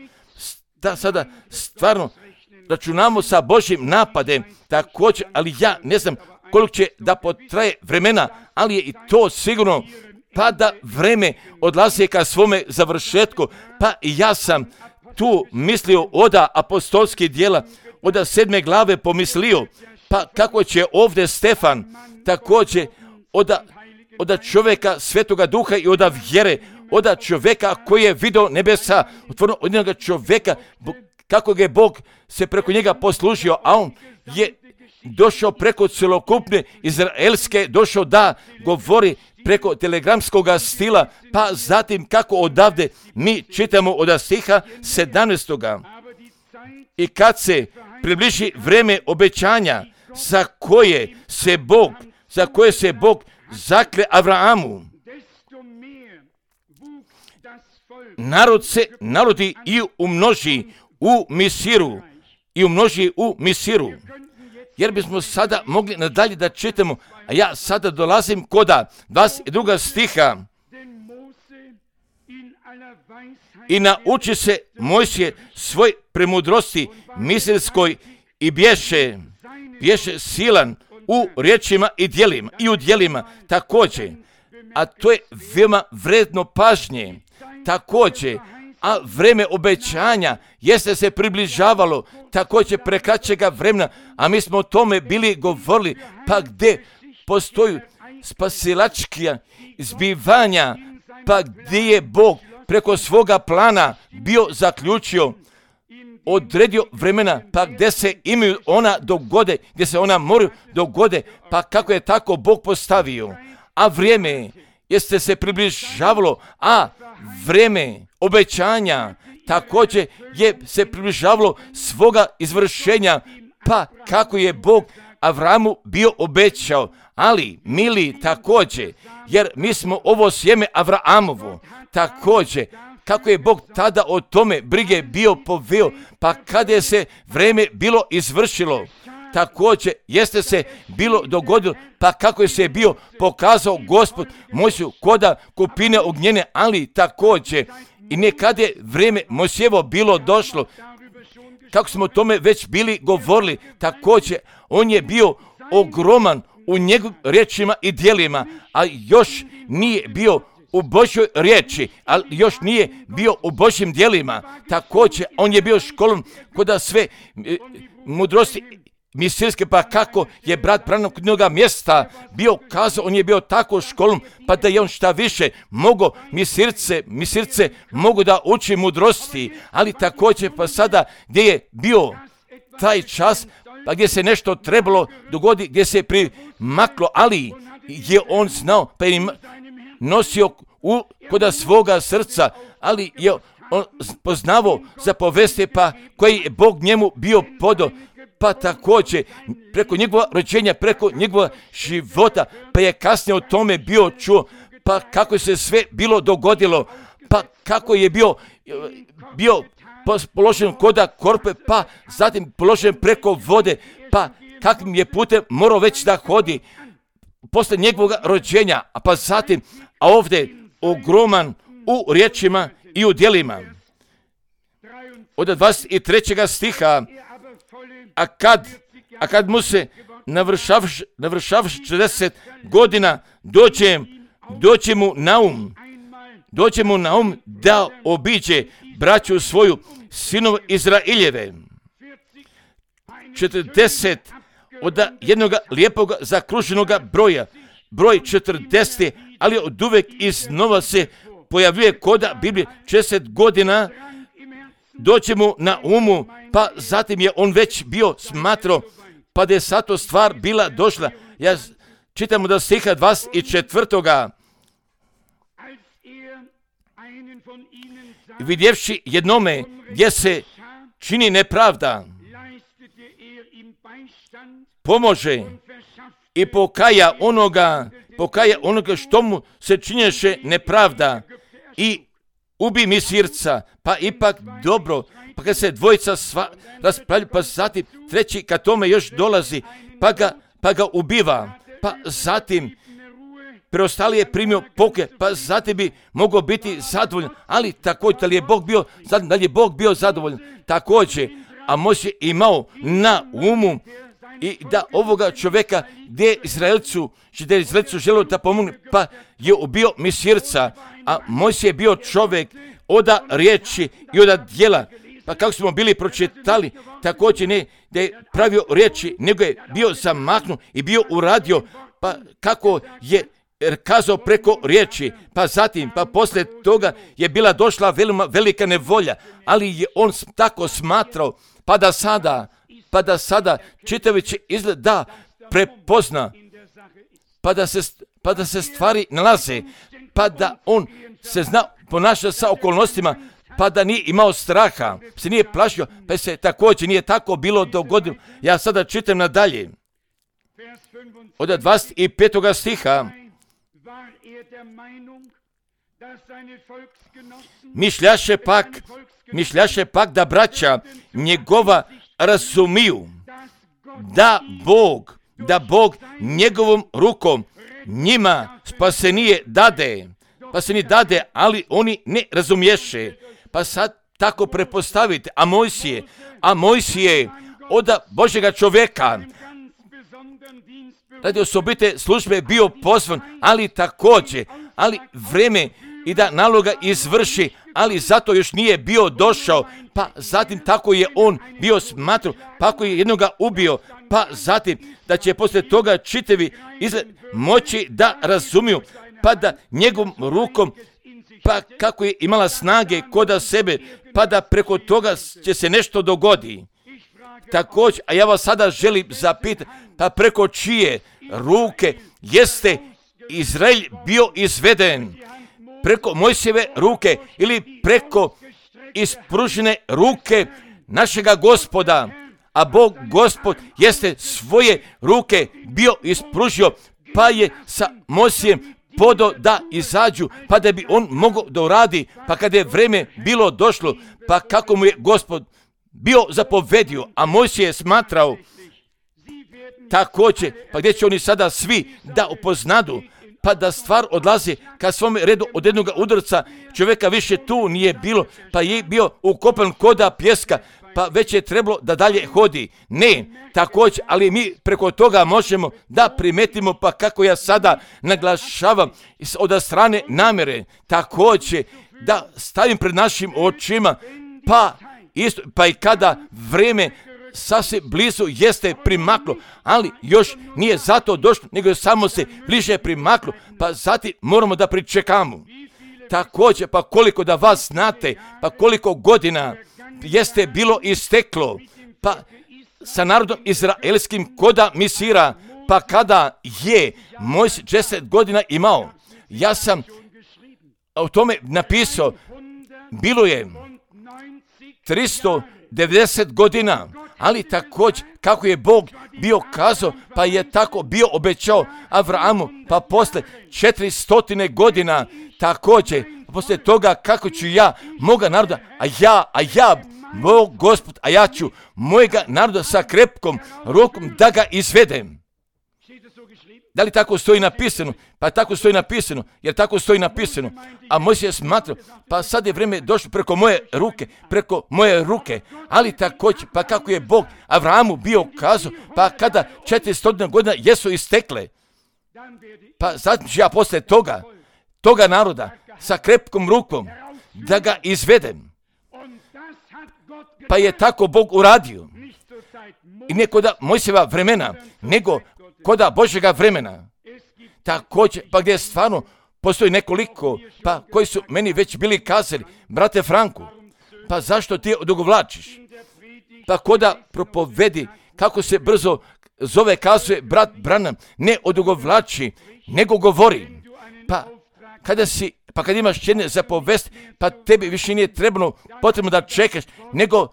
računamo sa Božjim napadem, također, ali ja ne znam koliko će da potraje vremena, ali je i to sigurno, pa da vreme odlazi ka svome završetku, pa i ja sam tu mislio oda apostolskih djela, oda 7. glave pomislio, pa kako će ovdje Stefan također oda čovjeka Svetoga Duha i oda vjere, oda čovjeka koji je vidio nebesa, otvoreno od jednog čovjeka, kako ga je Bog se preko njega poslužio, a on je došao preko celokupne izraelske, došao da govori preko telegramskog stila, pa zatim kako odavde mi čitamo od stiha 17. I kad se približi vreme obećanja za koje se Bog zakle Abrahamu, narod se narodi i umnoži u Misiru. Jer bismo sada mogli nadalje da čitamo, a ja sada dolazim koda 22. stiha. I nauči se Mojsije svoj premudrosti miselskoj i bješe silan u riječima i u djelima također. A to je veoma vredno pažnje. Također, a vreme obećanja jeste se približavalo također prekraćega vremena, a mi smo o tome bili govorili, pa gdje postoju spasilačkija zbivanja, pa gdje je Bog preko svoga plana bio zaključio, odredio vremena, pa gdje se imaju ona dogode, gdje se ona moraju dogode, pa kako je tako Bog postavio. A vrijeme jeste se približavalo, a vrijeme obećanja također je se približavalo svoga izvršenja, pa kako je Bog Avramu bio obećao. Ali, mili, također, jer mi smo ovo sjeme Avramovo, također, kako je Bog tada o tome brige bio poveo, pa kada je se vrijeme bilo izvršilo, također jeste se bilo dogodilo, pa kako je se bio pokazao Gospod Mojsiju koda kupine ognjene, ali također i nekada je vrijeme Mojsijevo bilo došlo, kako smo o tome već bili govorili, također on je bio ogroman u njegovim riječima i djelima, a još nije bio u Božjoj riječi, ali još nije bio u Božjim djelima. Također on je bio školom koda sve mudrosti misilske, pa kako je brat Branham kod njega mjesta bio kazao, on je bio tako školom, pa da je on šta više mogo misilce mogu da uči mudrosti, ali također pa sada gdje je bio taj čas, pa gdje se nešto trebalo dogoditi, gdje se primaklo, ali je on znao, pa je nosio koda svoga srca, ali je on poznavao za povesti, pa koji je Bog njemu bio podao, pa također preko njegova rođenja, preko njegova života, pa je kasnije o tome bio čuo, pa kako se sve bilo dogodilo, pa kako je bio položen koda korpe, pa zatim položen preko vode, pa kakvim je putem morao već da hodi, posle njegovog rođenja, a pa zatim, a ovdje ogroman u riječima i u djelima. Od 23. stiha, a kad mu se navršavši 40 godina doće mu na um da obiđe braću svoju, sinov Izraeljeve. 40 od jednog lijepog zakruženog broja, broj 40, ali od uvek iznova se pojavljuje koda Biblije 60 godina, doće mu na umu, pa zatim je on već bio smatrao, pa da je sato stvar bila došla. Ja čitamo da stiha 24. Vidjevši jednome gdje se čini nepravda, pomože i pokaja onoga što mu se činješe nepravda i ubi mi sirca, pa ipak dobro, pa kad se dvojica raspravljaju, pa zatim treći kad tome još dolazi, pa ga ubiva, pa zatim preostali je primio poke, pa zatim bi mogao biti zadovoljan, ali također da li je Bog bio zadovoljan, također, a Mojsije imao na umu i da ovoga čovjeka gdje Izraelcu želio da pomogne, pa je ubio Misirca, a Mojsije je bio čovjek od riječi i od djela. Pa kako smo bili pročitali, također ne da je pravio riječi, nego je bio zamaknut i bio uradio, pa kako je kazao preko riječi, pa zatim, pa poslije toga je bila došla velika nevolja, ali je on tako smatrao, pa da sada čitajući izgled da prepozna, pa da se stvari nalaze, pa da on se zna ponaša sa okolnostima, pa da nije imao straha, se nije plašio, pa se također nije tako bilo dogodilo. Ja sada čitam nadalje. Od 25. stiha, mišljaše pak da braća njegova razumiju, da Bog njegovom rukom njima spasenije dade, ali oni ne razumješe. Pa sad tako prepostavite, a Mojsije od Božjega čovjeka radi osobite službe bio pozvan, ali također, vreme i da naloga izvrši, ali zato još nije bio došao, pa zatim tako je on bio smatrao, pa ako je jednoga ubio, pa zatim da će poslije toga čitavi izgled moći da razumiju, pa da njegovom rukom, pa kako je imala snage koda sebe, pa da preko toga će se nešto dogodi. Također, a ja vas sada želim zapitati, pa preko čije ruke jeste Izrael bio izveden? Preko Mojsijeve ruke ili preko ispružene ruke našega Gospoda? A Bog Gospod jeste svoje ruke bio ispružio, pa je sa Mojsijem podo da izađu, pa da bi on mogao da uradi, pa kada je vreme bilo došlo, pa kako mu je Gospod bio zapovedio, a Mojsije je smatrao također, pa gdje će oni sada svi da upoznadu, pa da stvar odlazi ka svome redu od jednog udarca, čovjeka više tu nije bilo, pa je bio ukopan koda pjeska, pa već je trebalo da dalje hodi. Ne, također, ali mi preko toga možemo da primetimo, pa kako ja sada naglašavam od strane namjere, također da stavim pred našim očima, pa i kada vreme sasvim blizu jeste primaklo, ali još nije zato došlo, nego samo se bliže primaklo, pa zatim moramo da pričekamo. Također, pa koliko da vas znate, pa koliko godina jeste bilo isteklo, pa sa narodom izraelskim koda Misira, pa kada je Mojsije 10 godina imao. Ja sam o tome napisao, bilo je 390 godina, ali također kako je Bog bio kazao, pa je tako bio obećao Avrahamu, pa posle 400 godina također, posle toga kako ću ja moga naroda, a ja Bog Gospod, a ja ću mojega naroda sa krepkom rukom da ga izvedem. Da li tako stoji napisano? Pa tako stoji napisano, jer tako stoji napisano. A Mojsije je smatrao, pa sad je vrijeme došlo preko moje ruke, ali također, pa kako je Bog Avrahamu bio kazao, pa kada 400 godina jesu istekle, pa zatim ću ja posle toga naroda sa krepkom rukom da ga izvedem. Pa je tako Bog uradio. I ne koda Mojsijeva vremena, nego koda Božjega vremena. Također, pa gdje stvarno postoji nekoliko, pa koji su meni već bili kazali, brate Franku, pa zašto ti odugovlačiš? Pa koda propovedi, kako se brzo zove, kazuje brat Branham, ne odugovlači, nego govori. Pa kad imaš jedne za povest, pa tebi više nije potrebno da čekaš, nego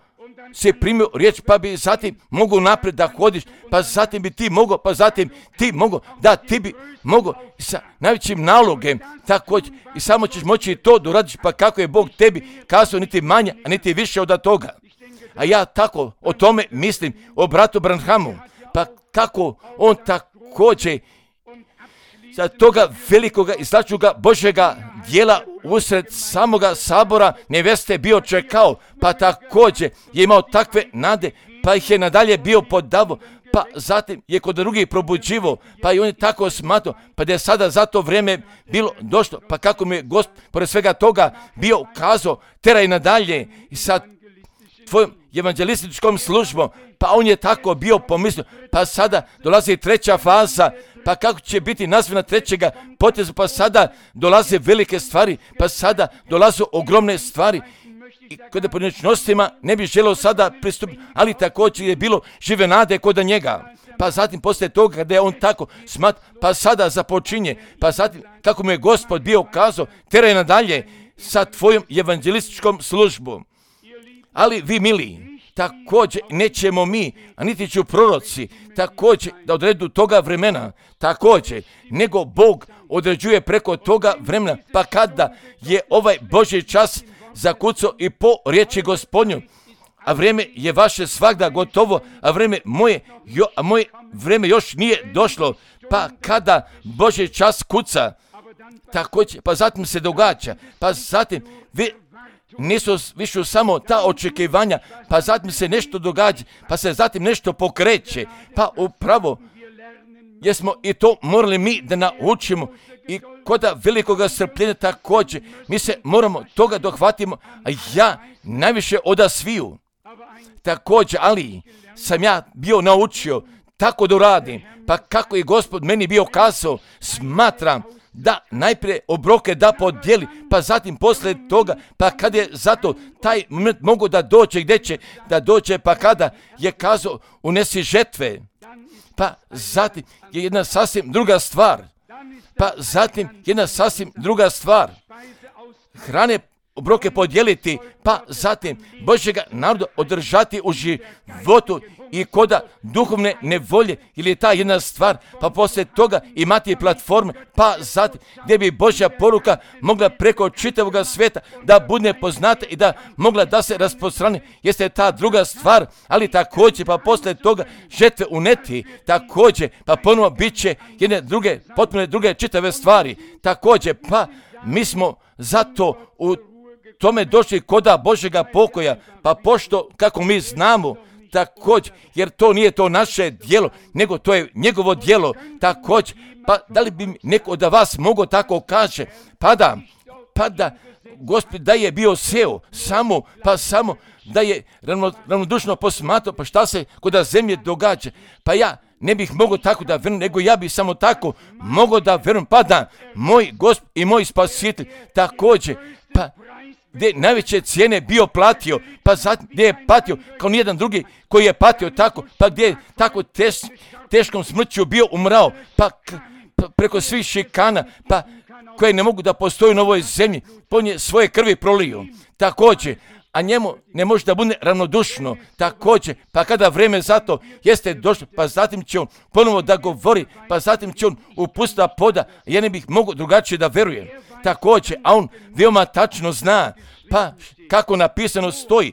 si primio riječ, pa bi zatim mogu naprijed da hodiš, pa zatim bi ti mogao, pa zatim ti mogao, da ti bi mogao sa najvećim nalogem, također, i samo ćeš moći to da uradiš, pa kako je Bog tebi kazao, niti manje, a niti više od toga. A ja tako o tome mislim, o bratu Branhamu, pa kako on također za toga velikoga i značajnoga Božjega dijela usred samoga sabora neveste bio čekao, pa također je imao takve nade, pa ih je nadalje bio podavo, pa zatim je kod drugih probuđivo, pa i on je tako smatrao, pa da je sada za to vrijeme bilo došlo, pa kako mi je Gospod pored svega toga bio kazao, teraj nadalje i sa tvojom evanđelističkom službom, pa on je tako bio pomislio, pa sada dolazi treća faza, pa kako će biti nazvana trećega poteza, pa sada dolaze velike stvari, pa sada dolaze ogromne stvari. I kod pojedinačnostima ne bih želeo sada pristupiti, ali također je bilo žive nade kod njega. Pa zatim poslije toga kada je on tako pa sada započinje, pa zatim kako mu je Gospod bio kazao, teraj nadalje sa tvojom evanđelističkom službom. Ali vi mili, također nećemo mi, a niti ću proroci, također da odredu toga vremena, također, nego Bog određuje preko toga vremena, pa kada je ovaj Božji čas zakucao i po riječi Gospodnju, a vrijeme je vaše svagda gotovo, a vrijeme moje vrijeme još nije došlo, pa kada Božji čas kuca, također, pa zatim se događa, pa zatim nisu više samo ta očekivanja, pa zatim se nešto događa, pa se zatim nešto pokreće, pa upravo jesmo i to morali mi da naučimo i kod velikoga strpljenja također, mi se moramo toga dohvatimo, a ja najviše od sviju. Također, ali sam ja bio naučio tako da radim, pa kako je Gospod meni bio kazao, smatram da najprije obroke da podijeli, pa zatim poslije toga, pa kad je zato taj moment mogu da dođe gdje će da dođe, pa kada je kazao unesi žetve, pa zatim je jedna sasvim druga stvar, hrane obroke podijeliti, pa zatim Božjega naroda održati u životu i koda duhovne nevolje, ili je ta jedna stvar, pa poslije toga imati platforme, pa zatim gdje bi Božja poruka mogla preko čitavog svijeta da bude poznata i da mogla da se rasprostrani, jeste ta druga stvar, ali također pa poslije toga žetve uneti, također pa ponovo bit će jedne druge, potpuno druge čitave stvari, također pa mi smo zato u tome došli koda Božjega pokoja, pa pošto kako mi znamo, također, jer to nije to naše djelo, nego to je njegovo djelo, također, pa da li bi neko od vas mogao tako kaže, pa da Gospod da je bio seo, samo da je ravnodušno posmatrao, pa šta se kod zemlje događa, pa ja ne bih mogao tako da verujem, nego ja bih samo tako mogao da verujem, pa da moj Gospod i moj Spasitelj također, pa gdje najveće cijene bio platio, pa zatim gdje je patio kao nijedan drugi koji je patio tako, pa gdje je tako teškom smrću bio umrao, pa preko svih šikana, pa koje ne mogu da postoji na ovoj zemlji, on je svoje krvi prolio, također, a njemu ne može da bude ravnodušno, također, pa kada vrijeme za to jeste došlo, pa zatim će on ponovo da govori, pa zatim će on upustiti poda, ja ne bih mogao drugačije da verujem, također, a on veoma tačno zna, pa kako napisano stoji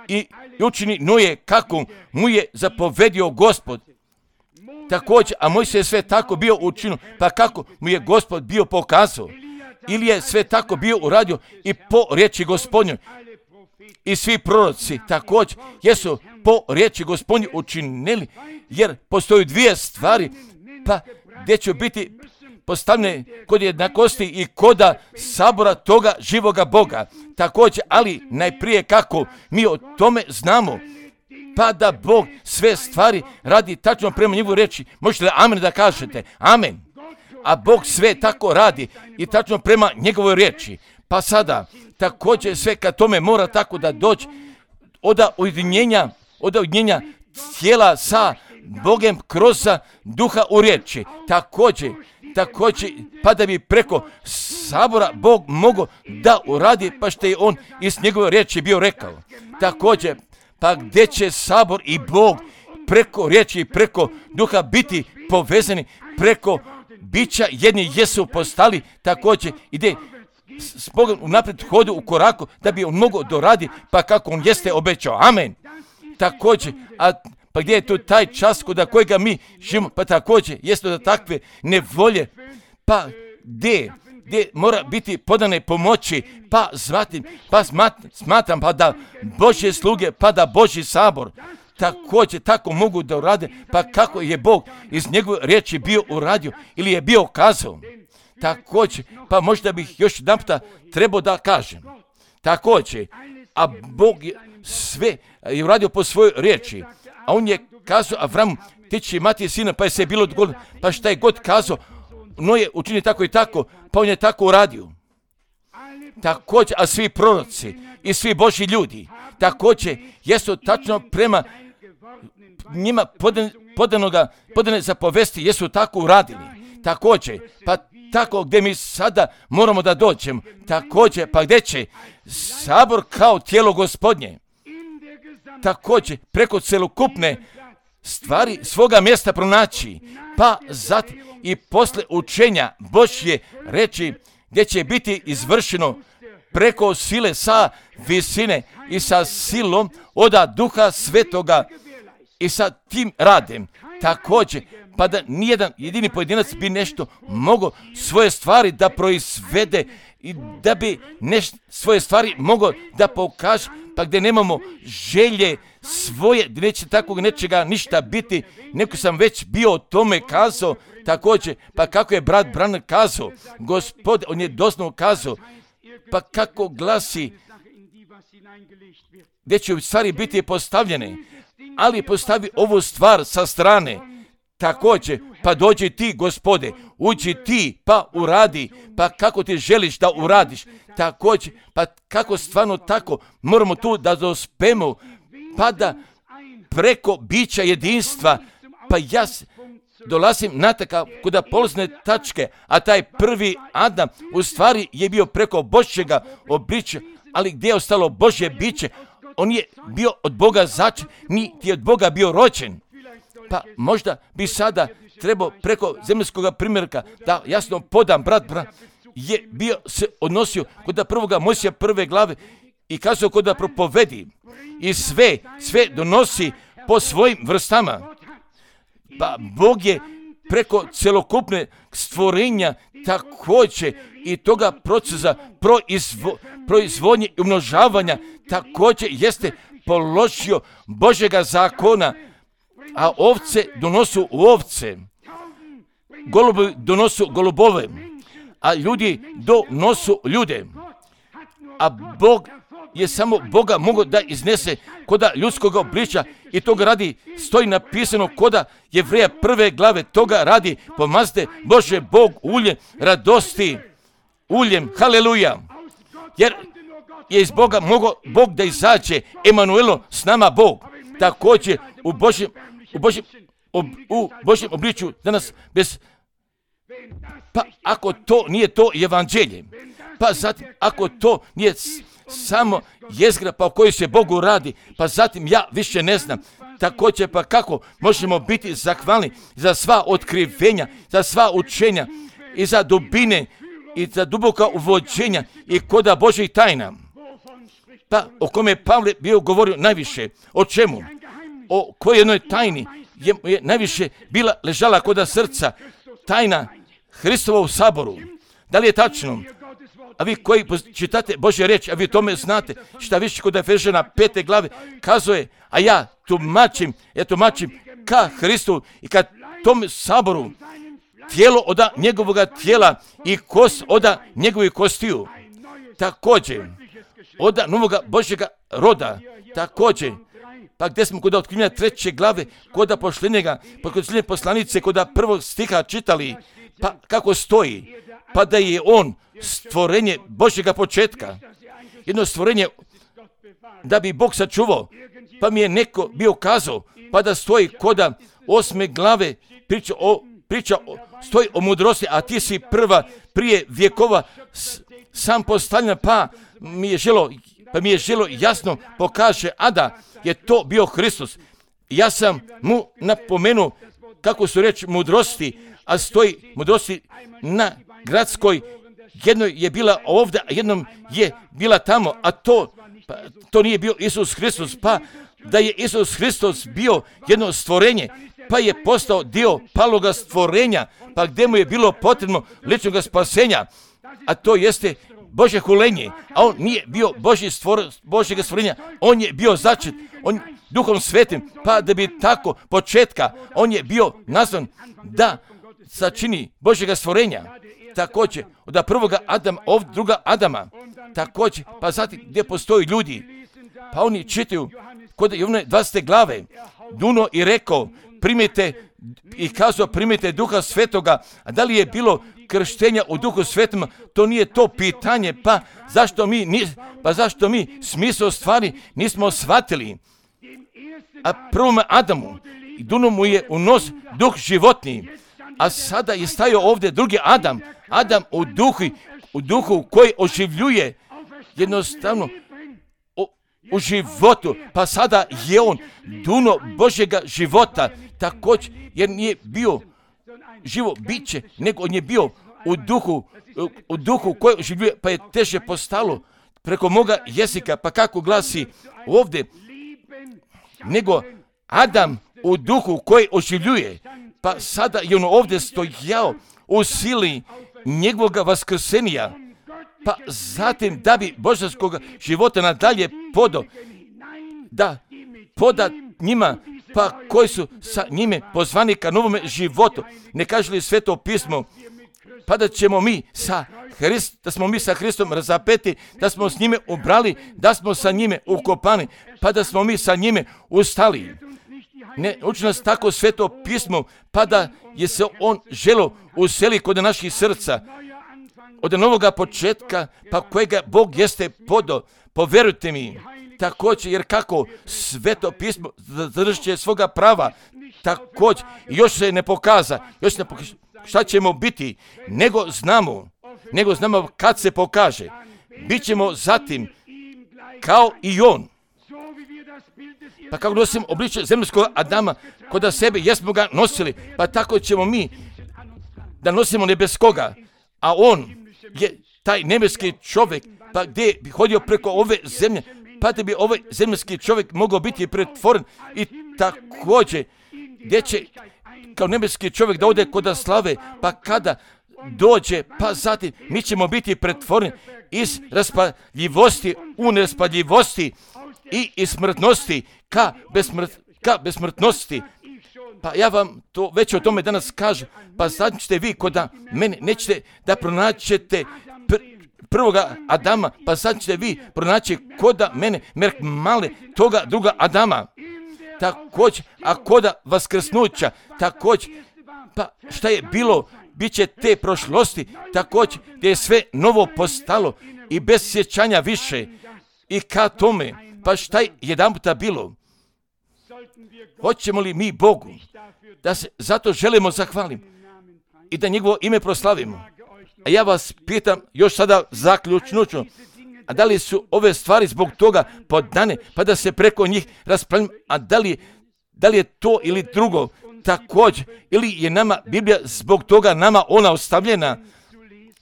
i učini Noe kako mu je zapovedio Gospod. također, a Mojsije je sve tako bio učinio, pa kako mu je Gospod bio pokazao? Ili je sve tako bio uradio i po riječi Gospodnjoj. I svi proroci također jesu po riječi Gospodnje učinili, jer postoji dvije stvari, pa gdje će biti postavljene kod jednakosti i koda sabora toga živoga Boga. Također, ali najprije kako mi o tome znamo, pa da Bog sve stvari radi tačno prema njegovoj riječi. Možete li amen da kažete? Amen. A Bog sve tako radi i tačno prema njegovoj riječi. Pa sada, također sve kad tome mora tako da doći od ujedinjenja tijela sa Bogem kroz duha u riječi. Također, pa da bi preko sabora Bog mogao da uradi, pa što je on iz njegove riječi bio rekao. Također, pa gdje će sabor i Bog preko riječi i preko duha biti povezani, preko bića jedni jesu postali, također ide s Bogom unaprijed hodu u koraku da bi on mogao doradi, pa kako on jeste obećao. Amen. Također, pa gdje je tu taj čas kod kojega mi živimo, pa također jeste da takve nevolje, pa gdje mora biti podane pomoći, pa smatram pa da Božje sluge, pa da Božji sabor također tako mogu da urade, pa kako je Bog iz njegove riječi bio uradio ili je bio kazao. Također, pa možda bih još jedan puta trebao da kažem. Također, a Bog je sve je uradio po svojoj riječi, a on je kazao Avramu, ti će imati sina, pa je se bilo dogodilo, pa šta je god kazao, no je učinio tako i tako, pa on je tako uradio. Također, a svi proroci i svi Božji ljudi, također, jesu tačno prema njima podane zapovesti, jesu tako uradili. Također, pa tako gdje mi sada moramo da dođemo, također, pa gdje će sabor kao tijelo Gospodnje, također, preko celokupne stvari svoga mjesta pronaći, pa zatim i posle učenja Božje reči, gdje će biti izvršeno preko sile sa visine i sa silom od Duha Svetoga i sa tim radem. Također, pa da nijedan jedini pojedinac bi nešto mogao svoje stvari da proizvede i da bi svoje stvari mogao da pokaže, pa gdje nemamo želje svoje, gdje neće takvog nečega ništa biti. Neko sam već bio o tome kazao, također, pa kako je brat Branner kazao, Gospod, on je doslovno kazao, pa kako glasi, gdje će u stvari biti postavljene, ali postavi ovu stvar sa strane. Također, pa dođi ti, Gospode, uđi ti, pa uradi, pa kako ti želiš da uradiš. Također, pa kako stvarno tako moramo tu da dospemo, pa da preko bića jedinstva, pa ja dolazim na takav kod polazne tačke, a taj prvi Adam u stvari je bio preko Božjega obličja, ali gdje je ostalo Božje biće? On je bio od Boga začet, niti je od Boga bio rođen. Pa možda bi sada trebao preko zemaljskog primjerka da jasno podam, brat je bio se odnosio kod prvoga Mojsija prve glave i kazao kod da propovedi i sve donosi po svojim vrstama. Pa Bog je preko celokupne stvorenja također i toga procesa proizvodnje i umnožavanja također jeste položio Božjega zakona, a ovce donosu ovce, golubi donosu golubove, a ljudi donosu ljude. A Bog je samo Boga mogao da iznese koda ljudskog obličja i toga radi stoji napisano koda Jevreja prve glave, toga radi pomazde Bože Bog uljem radosti, uljem, haleluja, jer je iz Boga mogao Bog da izađe, Emanuelo s nama Bog, također u Božjem obličju danas bez, pa ako to nije to evanđelje, pa zatim ako to nije samo jezgra pa o kojoj se Bogu radi, pa zatim ja više ne znam. Također pa kako možemo biti zahvalni za sva otkrivenja, za sva učenja i za dubine i za duboka uvođenja i koda Božjih tajna. Pa o kome je Pavle bio govorio najviše, o čemu? O kojoj jednoj tajni je najviše bila ležala kod srca tajna Hristova u saboru. Da li je tačno? A vi koji čitate Božje riječi, a vi tome znate, šta više kod Efežana 5. glave kazuje, a ja tumačim ka Hristu i ka tom saboru, tijelo od njegovoga tijela i kost od njegovih kostiju. Također, od novoga Božjega roda, također, pa gdje smo kod otkrivenja 3. glave, kod pošljenjega, kod poslanice, kod 1. stiha čitali, pa kako stoji, pa da je on stvorenje Božjega početka, jedno stvorenje da bi Bog sačuvao, pa mi je neko bio kazao, pa da stoji kod 8. glave, stoji o mudrosti, a ti si prije vjekova sam postavljen, pa mi je želo jasno pokaže, a da je to bio Hristos. Ja sam mu napomenuo kako su reći mudrosti, a stoji mudrosti na gradskoj, jednoj je bila ovdje, a jednom je bila tamo, a to nije bio Isus Hristos, pa da je Isus Hristos bio jedno stvorenje, pa je postao dio paloga stvorenja, pa gdje mu je bilo potrebno ličnog spasenja, a to jeste Božje hulenje, a on nije bio Božjega stvorenja, on je bio začet, on Duhom Svetim, pa da bi tako početka, on je bio nazvan da sačini Božjega stvorenja. Također, od prvoga Adama, druga Adama, također, pa zatim gdje postoji ljudi, pa oni čitaju kod Jovane 20. glave, duno i rekao, primite Duha Svetoga, a da li je bilo krštenja u Duhu Svetom, to nije to pitanje, pa zašto mi smisao stvari nismo shvatili. A prvom Adamu, duno mu je u nos duh životni, a sada je stajao ovdje drugi Adam u duhu koji oživljuje jednostavno u životu, pa sada je on duno Božjega života, također jer nije bio živo biće, nego on je bio u duhu koji oživljuje, pa je teže postalo preko moga jezika, pa kako glasi ovdje, nego Adam u duhu koji oživljuje, pa sada je on ovdje stojao u sili njegovog vaskrsenja, pa zatim da bi božanskog života nadalje poda njima, pa koji su sa njime pozvani ka novome životu. Ne kaže li Sveto pismo, pa da smo mi sa Hristom razapeti, da smo s njime ubrali, da smo sa njime ukopani, pa da smo mi sa njime ustali. Ne uči nas tako Sveto pismo, pa da je se on želo useli kod naših srca, od novoga početka, pa kojega Bog jeste podao, povjerujte mi, također, jer kako Sveto pismo zadržit će svoga prava, također, još se ne pokaza, šta ćemo biti, nego znamo kad se pokaže, bit ćemo zatim kao i on. Pa kako nosim obličje zemaljskog Adama kod sebe, jesmo ga nosili, pa tako ćemo mi da nosimo nebeskoga, a on je taj nebeski čovjek, pa gdje bi hodio preko ove zemlje, pa da bi ovaj zemaljski čovjek mogao biti pretvoren i također gdje će kao nebeski čovjek da ode kod slave, pa kada dođe, pa zatim mi ćemo biti pretvoreni iz raspaljivosti u neraspaljivosti i iz smrtnosti ka besmrtnosti. Pa ja vam to već o tome danas kažem, pa sad ćete vi kod mene, nećete da pronaćete prvoga Adama, pa sad ćete vi pronaći kod mene merk male toga druga Adama. Također, a kod vaskrsnuća, također, pa šta je bilo, bit će te prošlosti, također, gdje je sve novo postalo i bez sjećanja više. I ka tome, pa šta je jedan puta bilo? Hoćemo li mi Bogu da se zato želimo zahvalim i da njegovo ime proslavimo? A ja vas pitam još sada zaključnuću, a da li su ove stvari zbog toga podane, pa da se preko njih raspravljamo, a da li je to ili drugo također, ili je nama Biblija zbog toga nama ona ostavljena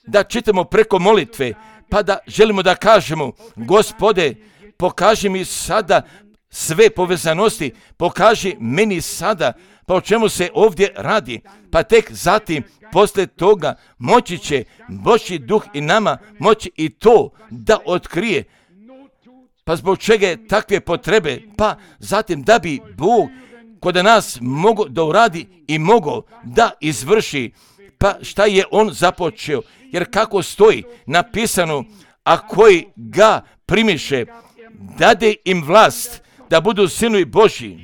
da čitamo preko molitve, pa da želimo da kažemo, Gospode, pokaži mi sada sve povezanosti, pokaži meni sada, pa o čemu se ovdje radi, pa tek zatim, poslije toga, moći će Božji duh i nama moći i to da otkrije. Pa zbog čega je takve potrebe? Pa zatim da bi Bog kod nas mogao da uradi i mogao da izvrši. Pa šta je on započeo? Jer kako stoji napisano, a koji ga primiše, dade im vlast da budu sinovi Božji.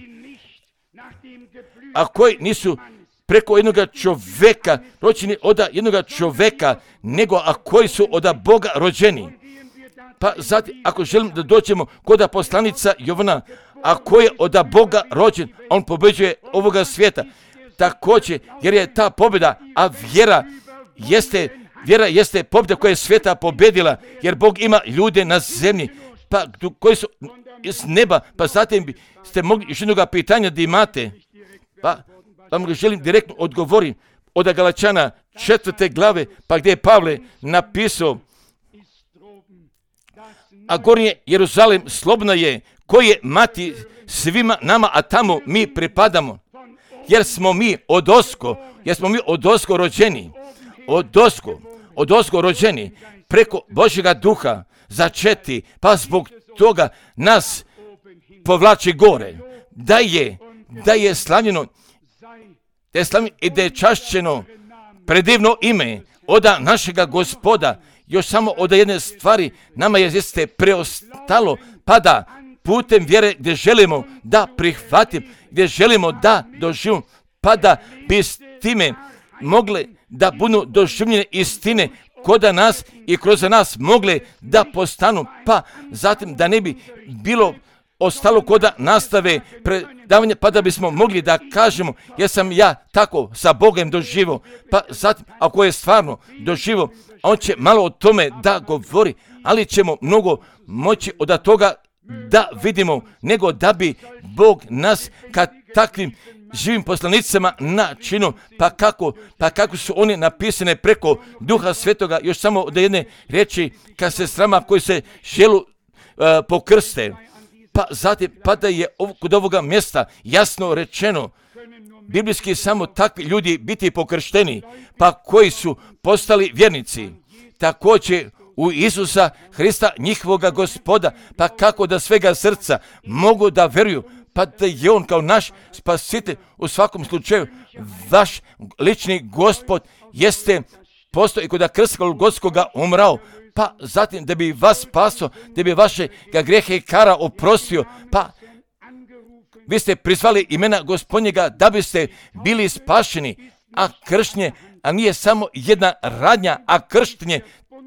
A koji nisu preko jednog čovjeka, rođeni od jednog čovjeka, nego a koji su od Boga rođeni. Pa zatim, ako želim da dođemo kod poslanica Jovana, a koji je od Boga rođen, on pobeđuje ovoga svijeta. Također, jer je ta pobjeda, a vjera jeste pobjeda koja je svijeta pobjedila, jer Bog ima ljude na zemlji, pa koji su iz neba, pa zatim ste mogli još jednoga pitanja da imate. Pa vam želim direktno odgovoriti od Galačana 4. glave, pa gdje je Pavle napisao, a gornje Jeruzalem slobodna je, koji je mati svima nama, a tamo mi pripadamo. Jer smo mi odosko rođeni, odosko rođeni, preko Božjega duha začeti, pa zbog toga nas povlači gore. Da je slavljeno i da je čašćeno predivno ime od našega Gospoda. Još samo od jedne stvari nama jeste preostalo, pa da putem vjere gdje želimo da prihvatim, gdje želimo da doživimo, pa da bi s time mogli da budu doživljene istine kod nas i kroz nas mogle da postanu, pa zatim da ne bi bilo ostalo kod nastave predavanja, pa da bismo mogli da kažemo jesam ja tako sa Bogom doživio, pa zatim ako je stvarno doživio, on će malo o tome da govori, ali ćemo mnogo moći od toga da vidimo, nego da bi Bog nas kad takvim živim poslanicama načinio, pa kako su oni napisane preko Duha Svetoga, još samo od jedne riječi, kad se srama koji se želu pokrste, pa zatim pa da je kod ovoga mjesta jasno rečeno, biblijski samo takvi ljudi biti pokršteni, pa koji su postali vjernici, također u Isusa Hrista njihovoga Gospoda, pa kako da svega srca mogu da vjeruju, pa da je on kao naš spasitelj. U svakom slučaju vaš lični Gospod jeste postoji kod krsta Golgotskoga umrao, pa zatim da bi vas spasio, da bi vaše grijehe i kara oprostio, pa vi ste prizvali imena Gospodnjega da biste bili spašeni, a krštenje, a nije samo jedna radnja, a krštenje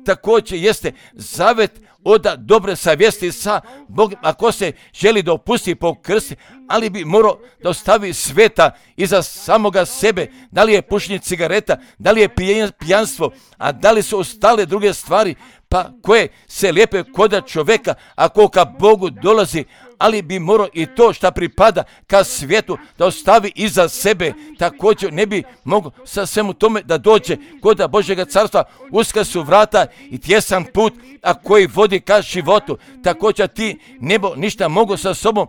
također jeste zavet od dobre savjesti sa Bogom, ako se želi da opusti po krsti, ali bi morao da ostavi sveta iza samoga sebe, da li je pušenje cigareta, da li je pijanstvo, a da li su ostale druge stvari, pa koje se lijepe kod čovjeka, ako ka Bogu dolazi, ali bi morao i to što pripada ka svijetu da ostavi iza sebe, također ne bi mogao sa svemu tome da dođe kod Božjega carstva. Uska su vrata i tjesan put, a koji vodi ka životu, također ti nebo ništa mogu sa sobom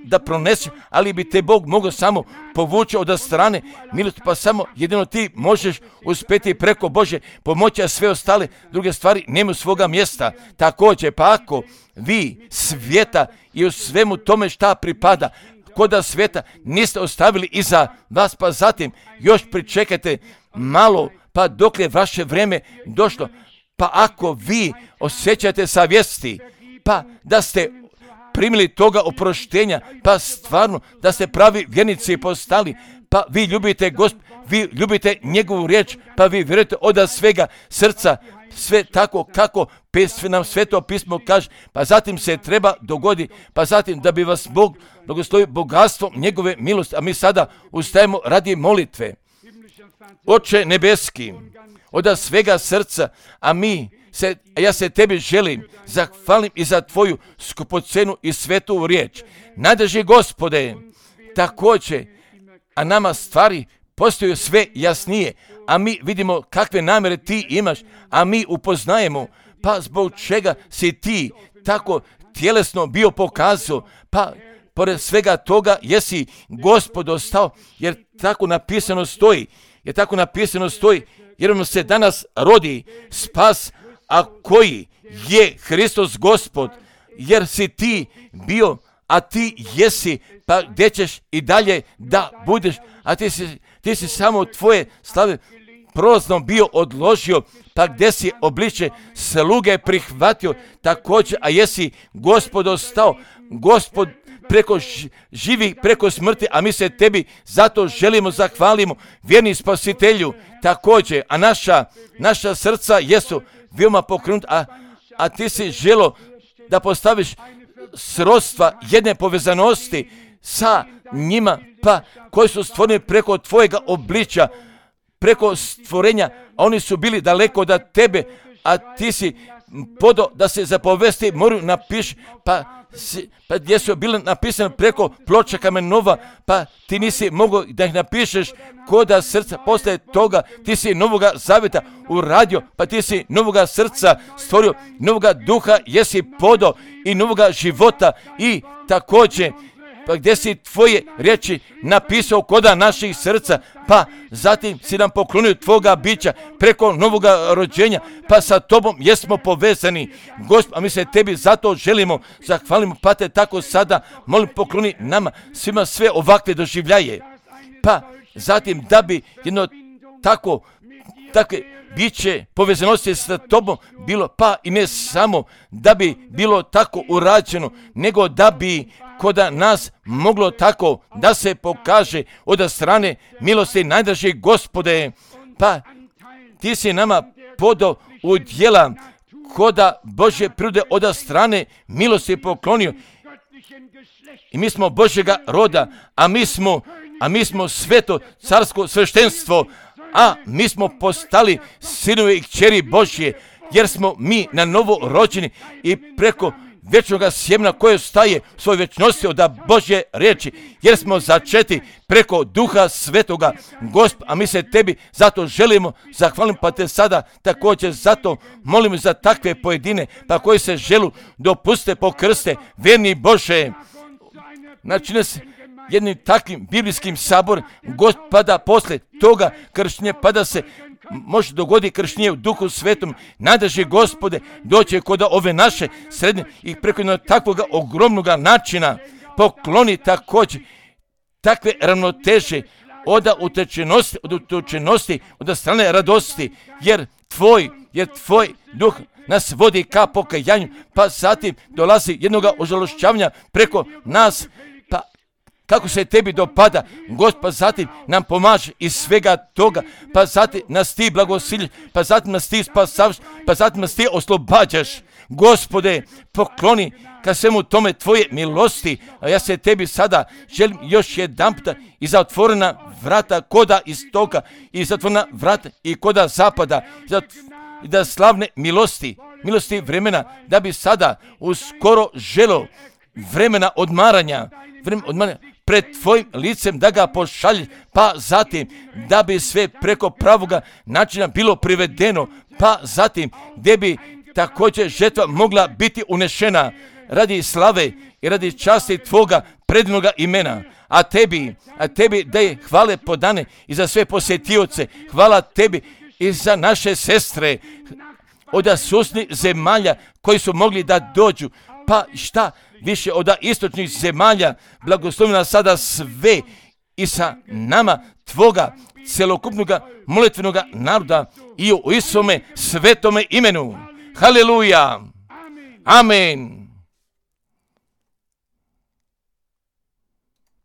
da pronesi, ali bi te Bog mogao samo povući od strane milosti, pa samo jedino ti možeš uspjeti preko Božje pomoći, a sve ostale druge stvari nemaju svoga mjesta. Također, pa ako vi svijeta i u svemu tome šta pripada koda svijeta niste ostavili iza vas, pa zatim još pričekajte malo, pa dok je vaše vrijeme došlo, pa ako vi osjećate savjesti, pa da ste primili toga oproštenja, pa stvarno da ste pravi vjernici postali, pa vi ljubite Gospod, vi ljubite njegovu riječ, pa vi vjerujete od svega srca, sve tako kako nam Sveto pismo kaže, pa zatim se treba dogodi, pa zatim da bi vas Bog blagoslovio bogatstvom njegove milosti, a mi sada ustajemo radi molitve. Oče nebeski, od svega srca, ja se tebi želim, zahvalim i za tvoju skupocenu i svetu riječ. Nadrži Gospode, također, a nama stvari postaju sve jasnije, a mi vidimo kakve namjere ti imaš, a mi upoznajemo, pa zbog čega si ti tako tjelesno bio pokazao, pa pored svega toga jesi Gospodo stao, jer tako napisano stoji, jer mu se danas rodi spas, a koji je Hristos Gospod, jer si ti bio, a ti jesi, pa gdje ćeš i dalje da budeš, a ti si samo tvoje slave prolazno bio odložio, pa gdje si obliče sluge prihvatio, također, a jesi Gospodo stao, Gospod preko živih, preko smrti, a mi se tebi zato želimo, zahvalimo, vjerni Spasitelju, također, a naša srca jesu veoma pokrenuta, a ti si želo da postaviš srodstva jedne povezanosti sa njima, pa koji su stvoreni preko tvojega obličja, preko stvorenja, a oni su bili daleko od tebe, a ti si podo da se zapovesti moraju napiši, pa gdje su bili napisani preko ploča kamenova, pa ti nisi mogao da ih napišeš koda srca. Posle toga ti si novoga zavjeta uradio, pa ti si novoga srca stvorio, novoga duha jesi podo i novoga života i također pa gdje si tvoje riječi napisao koda naših srca, pa zatim si nam poklonio tvoga bića preko novoga rođenja, pa sa tobom jesmo povezani, Gospod, a mi se tebi zato želimo, zahvalimo, pa te tako sada molim pokloni nama svima sve ovakve doživljaje, pa zatim da bi jedno takve biće povezanosti sa tobom bilo, pa i ne samo da bi bilo tako urađeno, nego da bi koda nas moglo tako da se pokaže od strane milosti najdraži Gospode, pa ti si nama podao u djela koda Božje prirode od strane milosti poklonio i mi smo Božjega roda, a mi smo sveto carsko sveštenstvo, a mi smo postali sinovi i kćeri Božje, jer smo mi na novo rođeni i preko vječnog sjemena koje staje u svojoj vječnosti od Božje riječi, jer smo začeti preko Duha Svetoga, Gospod, a mi se tebi zato želimo, zahvalim, pa te sada također zato molimo za takve pojedine, pa koji se želu dopuste pokrste, vjerni Bože, načine se jednim takvim biblijskim sabor, Gospod, pa da posle toga krštenje, pa da se može dogodi krštenje u Duhu Svetom, najdraži Gospode, doće kod ove naše srednje i preko jednog takvog ogromnog načina pokloni također takve ravnoteže od utučenosti, od strane radosti, jer tvoj duh nas vodi ka pokajanju, pa zatim dolazi jednoga ožalošćavanja preko nas, pa kako se tebi dopada, Gospod, pa zatim nam pomaže iz svega toga, pa zatim nas ti blagosiljaš, pa zatim nas ti spasavaš, pa zatim nas ti oslobađaš. Gospode, pokloni ka svemu tome tvoje milosti, a ja se tebi sada želim još jedanputa i za otvorena vrata koda istoka, i za otvorena vrata i koda zapada, i da slavne milosti vremena, da bi sada uskoro želo vremena odmaranja, pred tvojim licem da ga pošalješ, pa zatim da bi sve preko pravoga načina bilo privedeno, pa zatim gdje bi također žetva mogla biti unešena radi slave i radi časti tvoga predivnoga imena. A tebi da je hvale podane i za sve posjetioce, hvala tebi i za naše sestre od susjednih zemalja koji su mogli da dođu, pa šta više od istočnih zemalja, blagoslovi nas sada sve i sa nama tvoga celokupnog molitvenog naroda i u Isome svetome imenu. Haleluja. Amen.